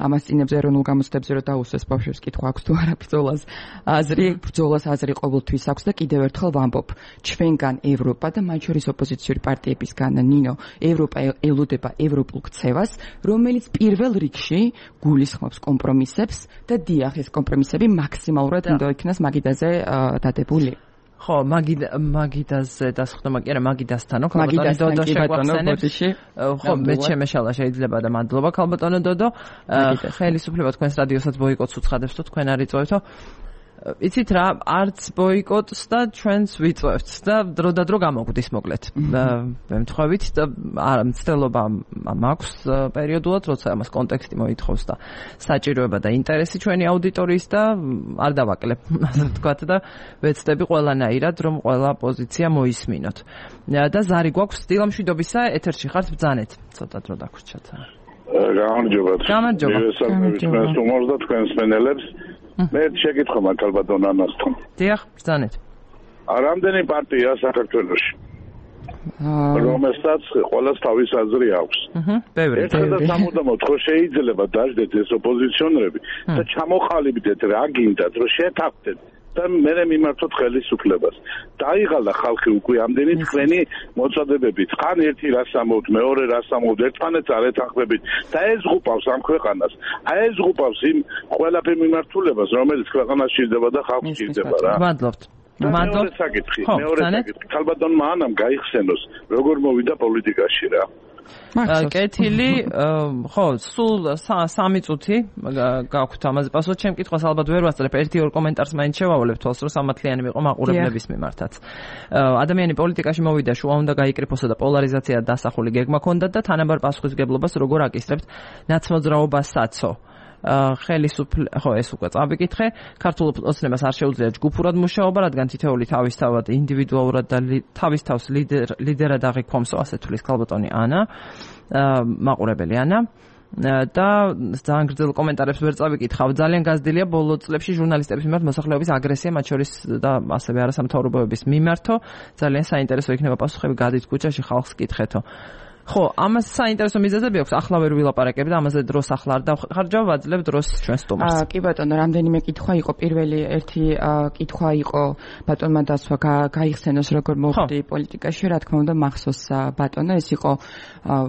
ამას წინებზე ეროვნულ გამოცდებზე რომ დაუსვეს ბავშვებს კითხვა აქვს თუ არა ბრძოლას აზრი ყოველთვის აქვს და კიდევ ერთხელ ვამბობ ჩვენგან ევროპა და მათ შორის ოპოზიციური პარტიებისგან ნინო ევროპა ელოდება ევროპულ ქცევას, რომელიც პირველ რიგში გულისხმობს კომპრომისებს და დიახ ეს კომპრომისები მაქსიმალურად უნდა იქნას მაგიდაზე დადებული. ხო, მაგიდაზე დასხდომა კი არა, მაგიდასთან, ქალბატონი დოდო შეგვახსენებს. ხო, მე შემეშალა შეიძლება და მადლობა ქალბატონო დოდო. ხელისუფლება თქვენს რადიოსაც ბოიკოტს უცხადებს თუ თქვენ არ იწვევთო. იცით რა, არც ბოიკოტს და ჩვენს ვიწვევთ და დრო და დრო გამოგვდის მოკლედ. მემთხვევით და მცდელობა მაქვს პერიოდულად, როცა ამას კონტექსტი მოითხოვს და საჭიროება და ინტერესი ჩვენი აუდიტორიის და არ დავაკლებ, ასე ვთქვათ და ვეცდები ყველანაირად, რომ ყველა პოზიცია მოისმინოთ. და ზარი გვაქვს დილამშვიდობისა, ეთერში ხართ ბრძანეთ. ცოტა დრო დაგვრჩათ. გამარჯობათ. მივესალმებით თქვენს უმორს და თქვენს მენელებს. მე შეკითხვა მაქვს ქალბატონ ანასთან. დიახ, ბრძანეთ. რამდენი პარტია საქართველოში? რომელსაც ყოველს თავის აზრი აქვს. ბევრი. ერთადაც ამოდამოთ ხო შეიძლება დაждეთ ეს ოპოზიციონერები და ჩამოყალიბდეთ რა გინდათ რომ შეთანხმდეთ და მე მიმართოთ ხელისუფლებას. დაიღალა ხალხი უკვე ამდენი თქვენი მოწოდებებით. ხან ერთი რას ამოვთ, მეორე რას ამოვთ, ერთმანეთს არ ეთანხმებით და ეს ღუპავს ამ ქვეყანას. ეს ღუპავს იმ ყველაფერ მიმართულებას, რომელიც ქვეყანას ჭირდება და ხალხს ჭირდება რა. მადლობთ. მეორე საკითხი. ქალბატონმა ანამ გაიხსენოს, როგორ მოვიდა პოლიტიკაში რა. კეთილი, ხო, სულ 3 წუთი გაქვთ ამაზე პასუხი. ჩემ კითხვას ალბათ ვერ ვასწრებ, 1-2 კომენტარს მაინც შევავალებ თვალს, რომ სამართლიანი მიყო მაყურებლების მიმართაც. ადამიანი პოლიტიკაში მოვიდა, შუა უნდა გაიკრიფოსა და პოლარიზაცია დასახული გეგმა ჰქონდა და თანაბარ პასუხისგებლობას როგორ აკისრებთ ნაცმოძრაობასაც. ხო ეს უკვე წავიკითხე. ქართულ ოცნებას არ შეუძლია ჯგუფურად მუშაობა, რადგან თითოეული თავისთავად ინდივიდუალურად და თავის თავს ლიდერად აღიქვამსო, ასე თulis ქალბატონი ანა, მაყურებელი ანა. და ძალიან გრძელ კომენტარებს ვერ წავიკითხავ. ძალიან გაზრდილია ბოლო წლებში ჟურნალისტების მიმართ მოსახლეობის აგრესია, მათ შორის და ასევე არასამთავრობოების მიმართო. ძალიან საინტერესო იქნება პასუხები, გადით ქუჩაში ხალხს კითხეთო. ხო, ამას საინტერესო მიზეზები აქვს, ახლა ვერ ვილაპარაკებ და ამაზე დროს ახლა არ დავხარჯავ, ვაძლევ დროს ჩვენ სტუმარს. კი ბატონო, რამდენიმე კითხვა იყო, პირველი ერთი კითხვა იყო ბატონმა დასვა გაიხსენოს როგორ მოხდი პოლიტიკაში, რა თქმა უნდა მახსოვს ბატონო, ეს იყო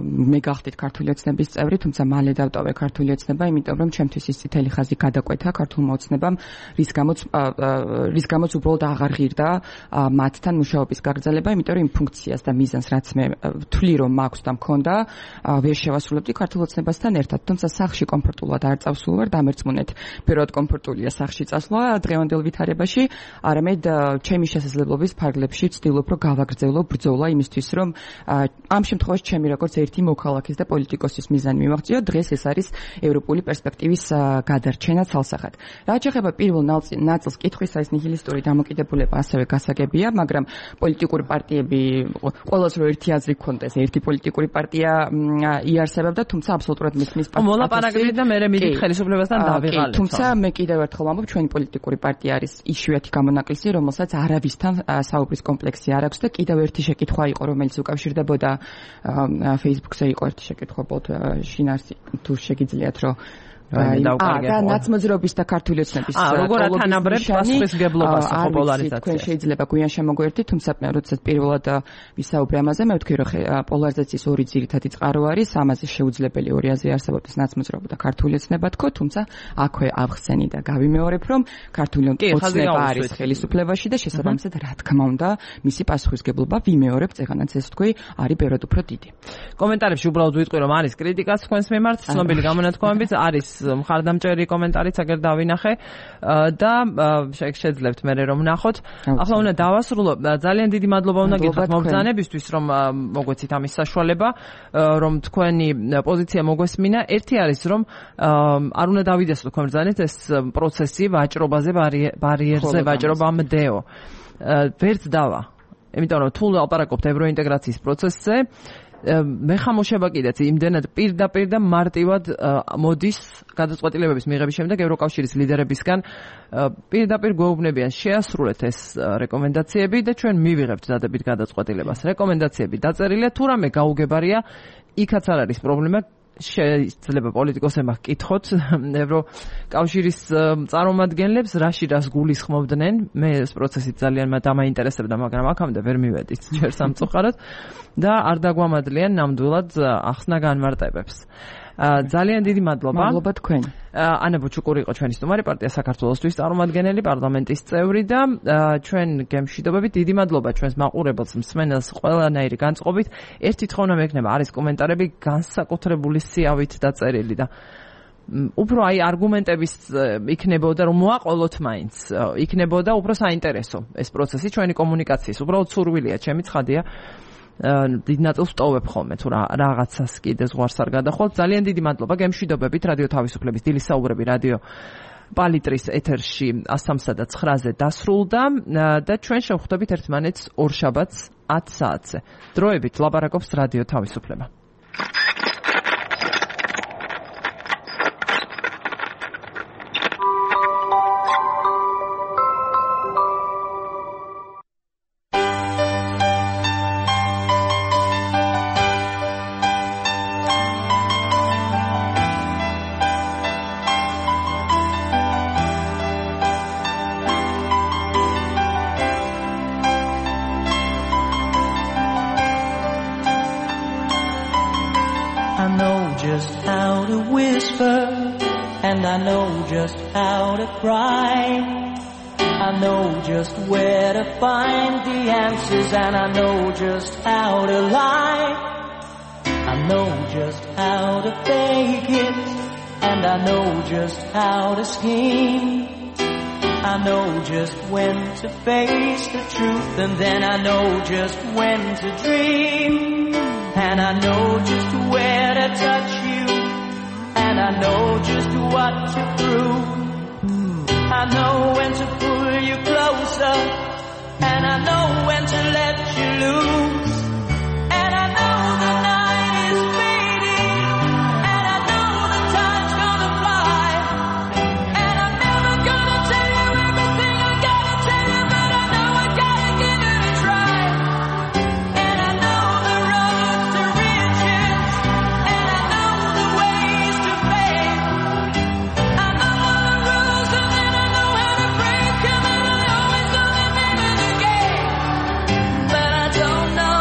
მე გახდით ქართული ოცნების წევრი, თუმცა მალე დავტოვე ქართული ოცნება, იმიტომ რომ ჩემთვის ის წითელი ხაზი გადაკვეთა ქართულმა ოცნებამ, რის გამოც უბრალოდ აღარ ღირდა მათთან მუშაობის გაგრძელება, იმიტომ რომ იმ ფუნქციას და მიზანს რაც მე ვთვლი რომ მაქვს და მქონდა, ვერ შევასრულებდი ქართულ ოცნებასთან ერთად, თუმცა სახლში კომფორტულად არ წავსულ ვარ, დამერწმუნეთ. პირველად კომფორტულია სახლში წასვლა დღევანდელ ვითარებაში, არამედ ჩემი შესაძლებლობის ფარგლებში ვცდილობ რომ გავაგრძელო ბრძოლა იმისთვის, რომ ამ შემთხვევაში ჩემი როგორც ერთი მოქალაქის და პოლიტიკოსის მიზანი მივაღწიო, დღეს ეს არის ევროპული პერსპექტივის გადარჩენა ცალსახად. რაც შეეხება პირველ ნაწილს კითხვისა, ეს ნიჰილისტური დამოკიდებულება ასევე გასაგებია, მაგრამ პოლიტიკური პარტიები ყოველს რო ერთი აზრი გქონდეს, ერთი პოლიტიკური პარტია იარსებებდა, თუმცა აბსოლუტურად მისმის პარტია. მოლაპარაკებით და მე მიდით ხელისუფლებასთან დავიღალეთ. თუმცა მე კიდევ ერთხელ ვამბობ, ჩვენი პოლიტიკური პარტია არის იშვიათი გამონაკლისი, რომელსაც არავისთან საუბრის კომპლექსი არ აქვს და კიდევ ერთი შეკითხვა იყო, რომელიც უკავშირდებოდა Facebook-ზე იყო ერთი შეკითხვა, შინარსი თუ შეგიძლიათ რომ და ნაცმოძრაობის და ქართული ოცნების როგორ ათანაბრებთ პასუხისგებლობას ხო პოლარიზაციას. თქვენ შეიძლება გვიან შემოგვიერთდით, თუმცა როდესაც პირველად ვისაუბრე ამაზე, მე ვთქვი რომ პოლარიზაციის ორი ძირითადი წყარო არის, ამაზე შეუძლებელი ორი აზრი არსებობს ნაცმოძრაობა და ქართული ოცნება თქო, თუმცა აქვე ავხსენი და გავიმეორებ, რომ ქართული ოცნება არის ხელისუფლებაში და შესაბამისად რა თქმა უნდა, მისი პასუხისგებლობა ვიმეორებ, წეგანაც ეს ვთქვი, არის ბევრად უფრო დიდი. კომენტარებში უბრალოდ ვიტყვი, რომ არის კრიტიკაც თქვენს მიმართ, ცნობილი გამონათქვამებით, არის მხარდამჭერი კომენტარიც აგერ დავინახე და შეძლებთ მე რომ ნახოთ. ახლა უნდა დავასრულო. ძალიან დიდი მადლობა უნდა გითხრათ მომბრძანებისთვის, რომ მოგვეცით ამის საშუალება, რომ თქვენი პოზიცია მოგვესმინა. ერთი არის, რომ არ უნდა დავიდეს თქვენ ბრძანეთ ეს პროცესი ვაჭრობაზე, ბარიერზე ვაჭრობამდეო. ვერც დავა. იმიტომ რომ თუ ლაპარაკობთ ევროინტეგრაციის პროცესზე, მე ხამოშება კიდეც იმდენად პირდაპირ და მარტივად მოდის გადაწყვეტილებების მიღების შემდეგ ევროკავშირის ლიდერებისგან პირდაპირ გვეუბნებიან შეასრულეთ ეს რეკომენდაციები და ჩვენ მივიღებთ დადებით გადაწყვეტილებას. რეკომენდაციები დაწერილია, თუ რამე გაუგებარია, იქაც არ არის პრობლემა. შეიძლება პოლიტიკოსებმა ჰკითხოთ ევროკავშირის წარმომადგენლებს რას გულისხმობდნენ. მე ეს პროცესი ძალიან დამაინტერესებდა, მაგრამ აქამდე ვერ მივედით ჯერ სამწუხაროდ და არ დაგვამადლიან ნამდვილად ახსნა განმარტებებს. ძალიან დიდი მადლობა. მადლობა თქვენ. ანა ბუჩუკური იყო ჩვენი სტუმარი, პარტია საქართველოსთვის წარმომადგენელი, პარლამენტის წევრი და ჩვენ გემშვიდობებით დიდი მადლობა ჩვენს მაყურებელს, მსმენელს ყველანაირი განწყობით. ერთი თხოვნა მექნება, არის კომენტარები განსაკუთრებული სიავით დაწერილი და უფრო აი არგუმენტების იქნებოდა რომ მოაყოლოთ მაინც, იქნებოდა უფრო საინტერესო ეს პროცესი ჩვენი კომუნიკაციის. უბრალოდ სურვილია, ჩემი ცხადია. დიდ ნაწილს ვტოვებ ხოლმე თუ რაღაცას კიდე ზღვარს არ გადახვალ. ძალიან დიდი მადლობა. გემშვიდობებით. რადიო თავისუფლების დილის საუბრები რადიო პალიტრის ეთერში 103 და 9-ზე დასრულდა და ჩვენ შევხვდებით ერთმანეთს ორშაბათს 10 საათზე. დროებით ლაპარაკობს რადიო თავისუფლება. And I know just how to lie. I know just how to fake it. And I know just how to scheme. I know just when to face the truth. And then I know just when to dream. And I know just where to touch you. And I know just what to prove. I know when to pull you closer. And I know when to let you loose. And I know the night is fading. And I know the time's gonna fly. And I'm never gonna tell you everything I gotta tell you, but I know I gotta give it a try. And I know the roads to riches. And I know the ways to fame. I know all the rules and then I know how to break them. And I always know the name of the game. But I don't know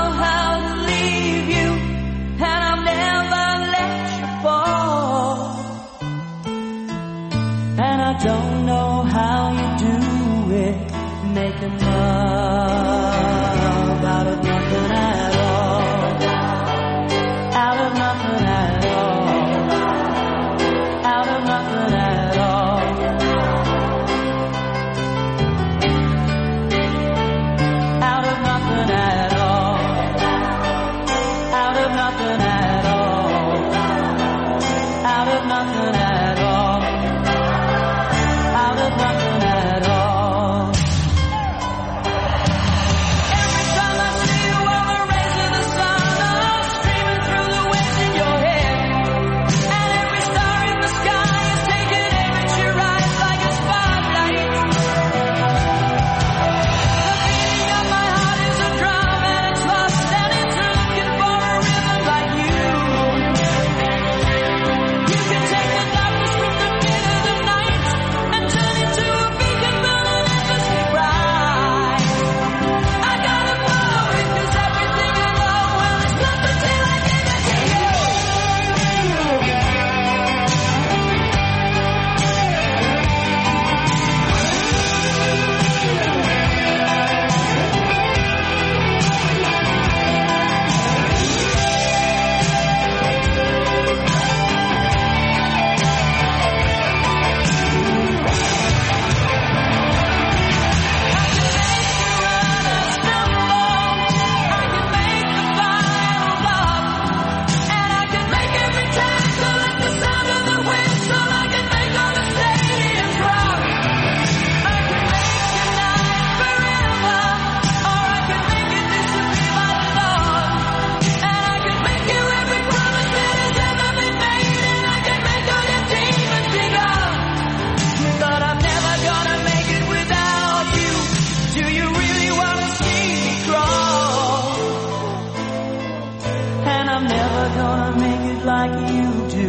like you do,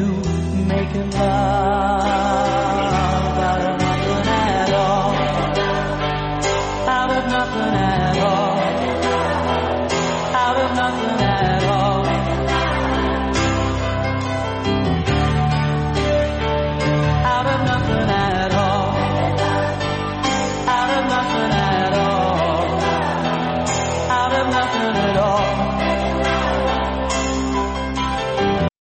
making love.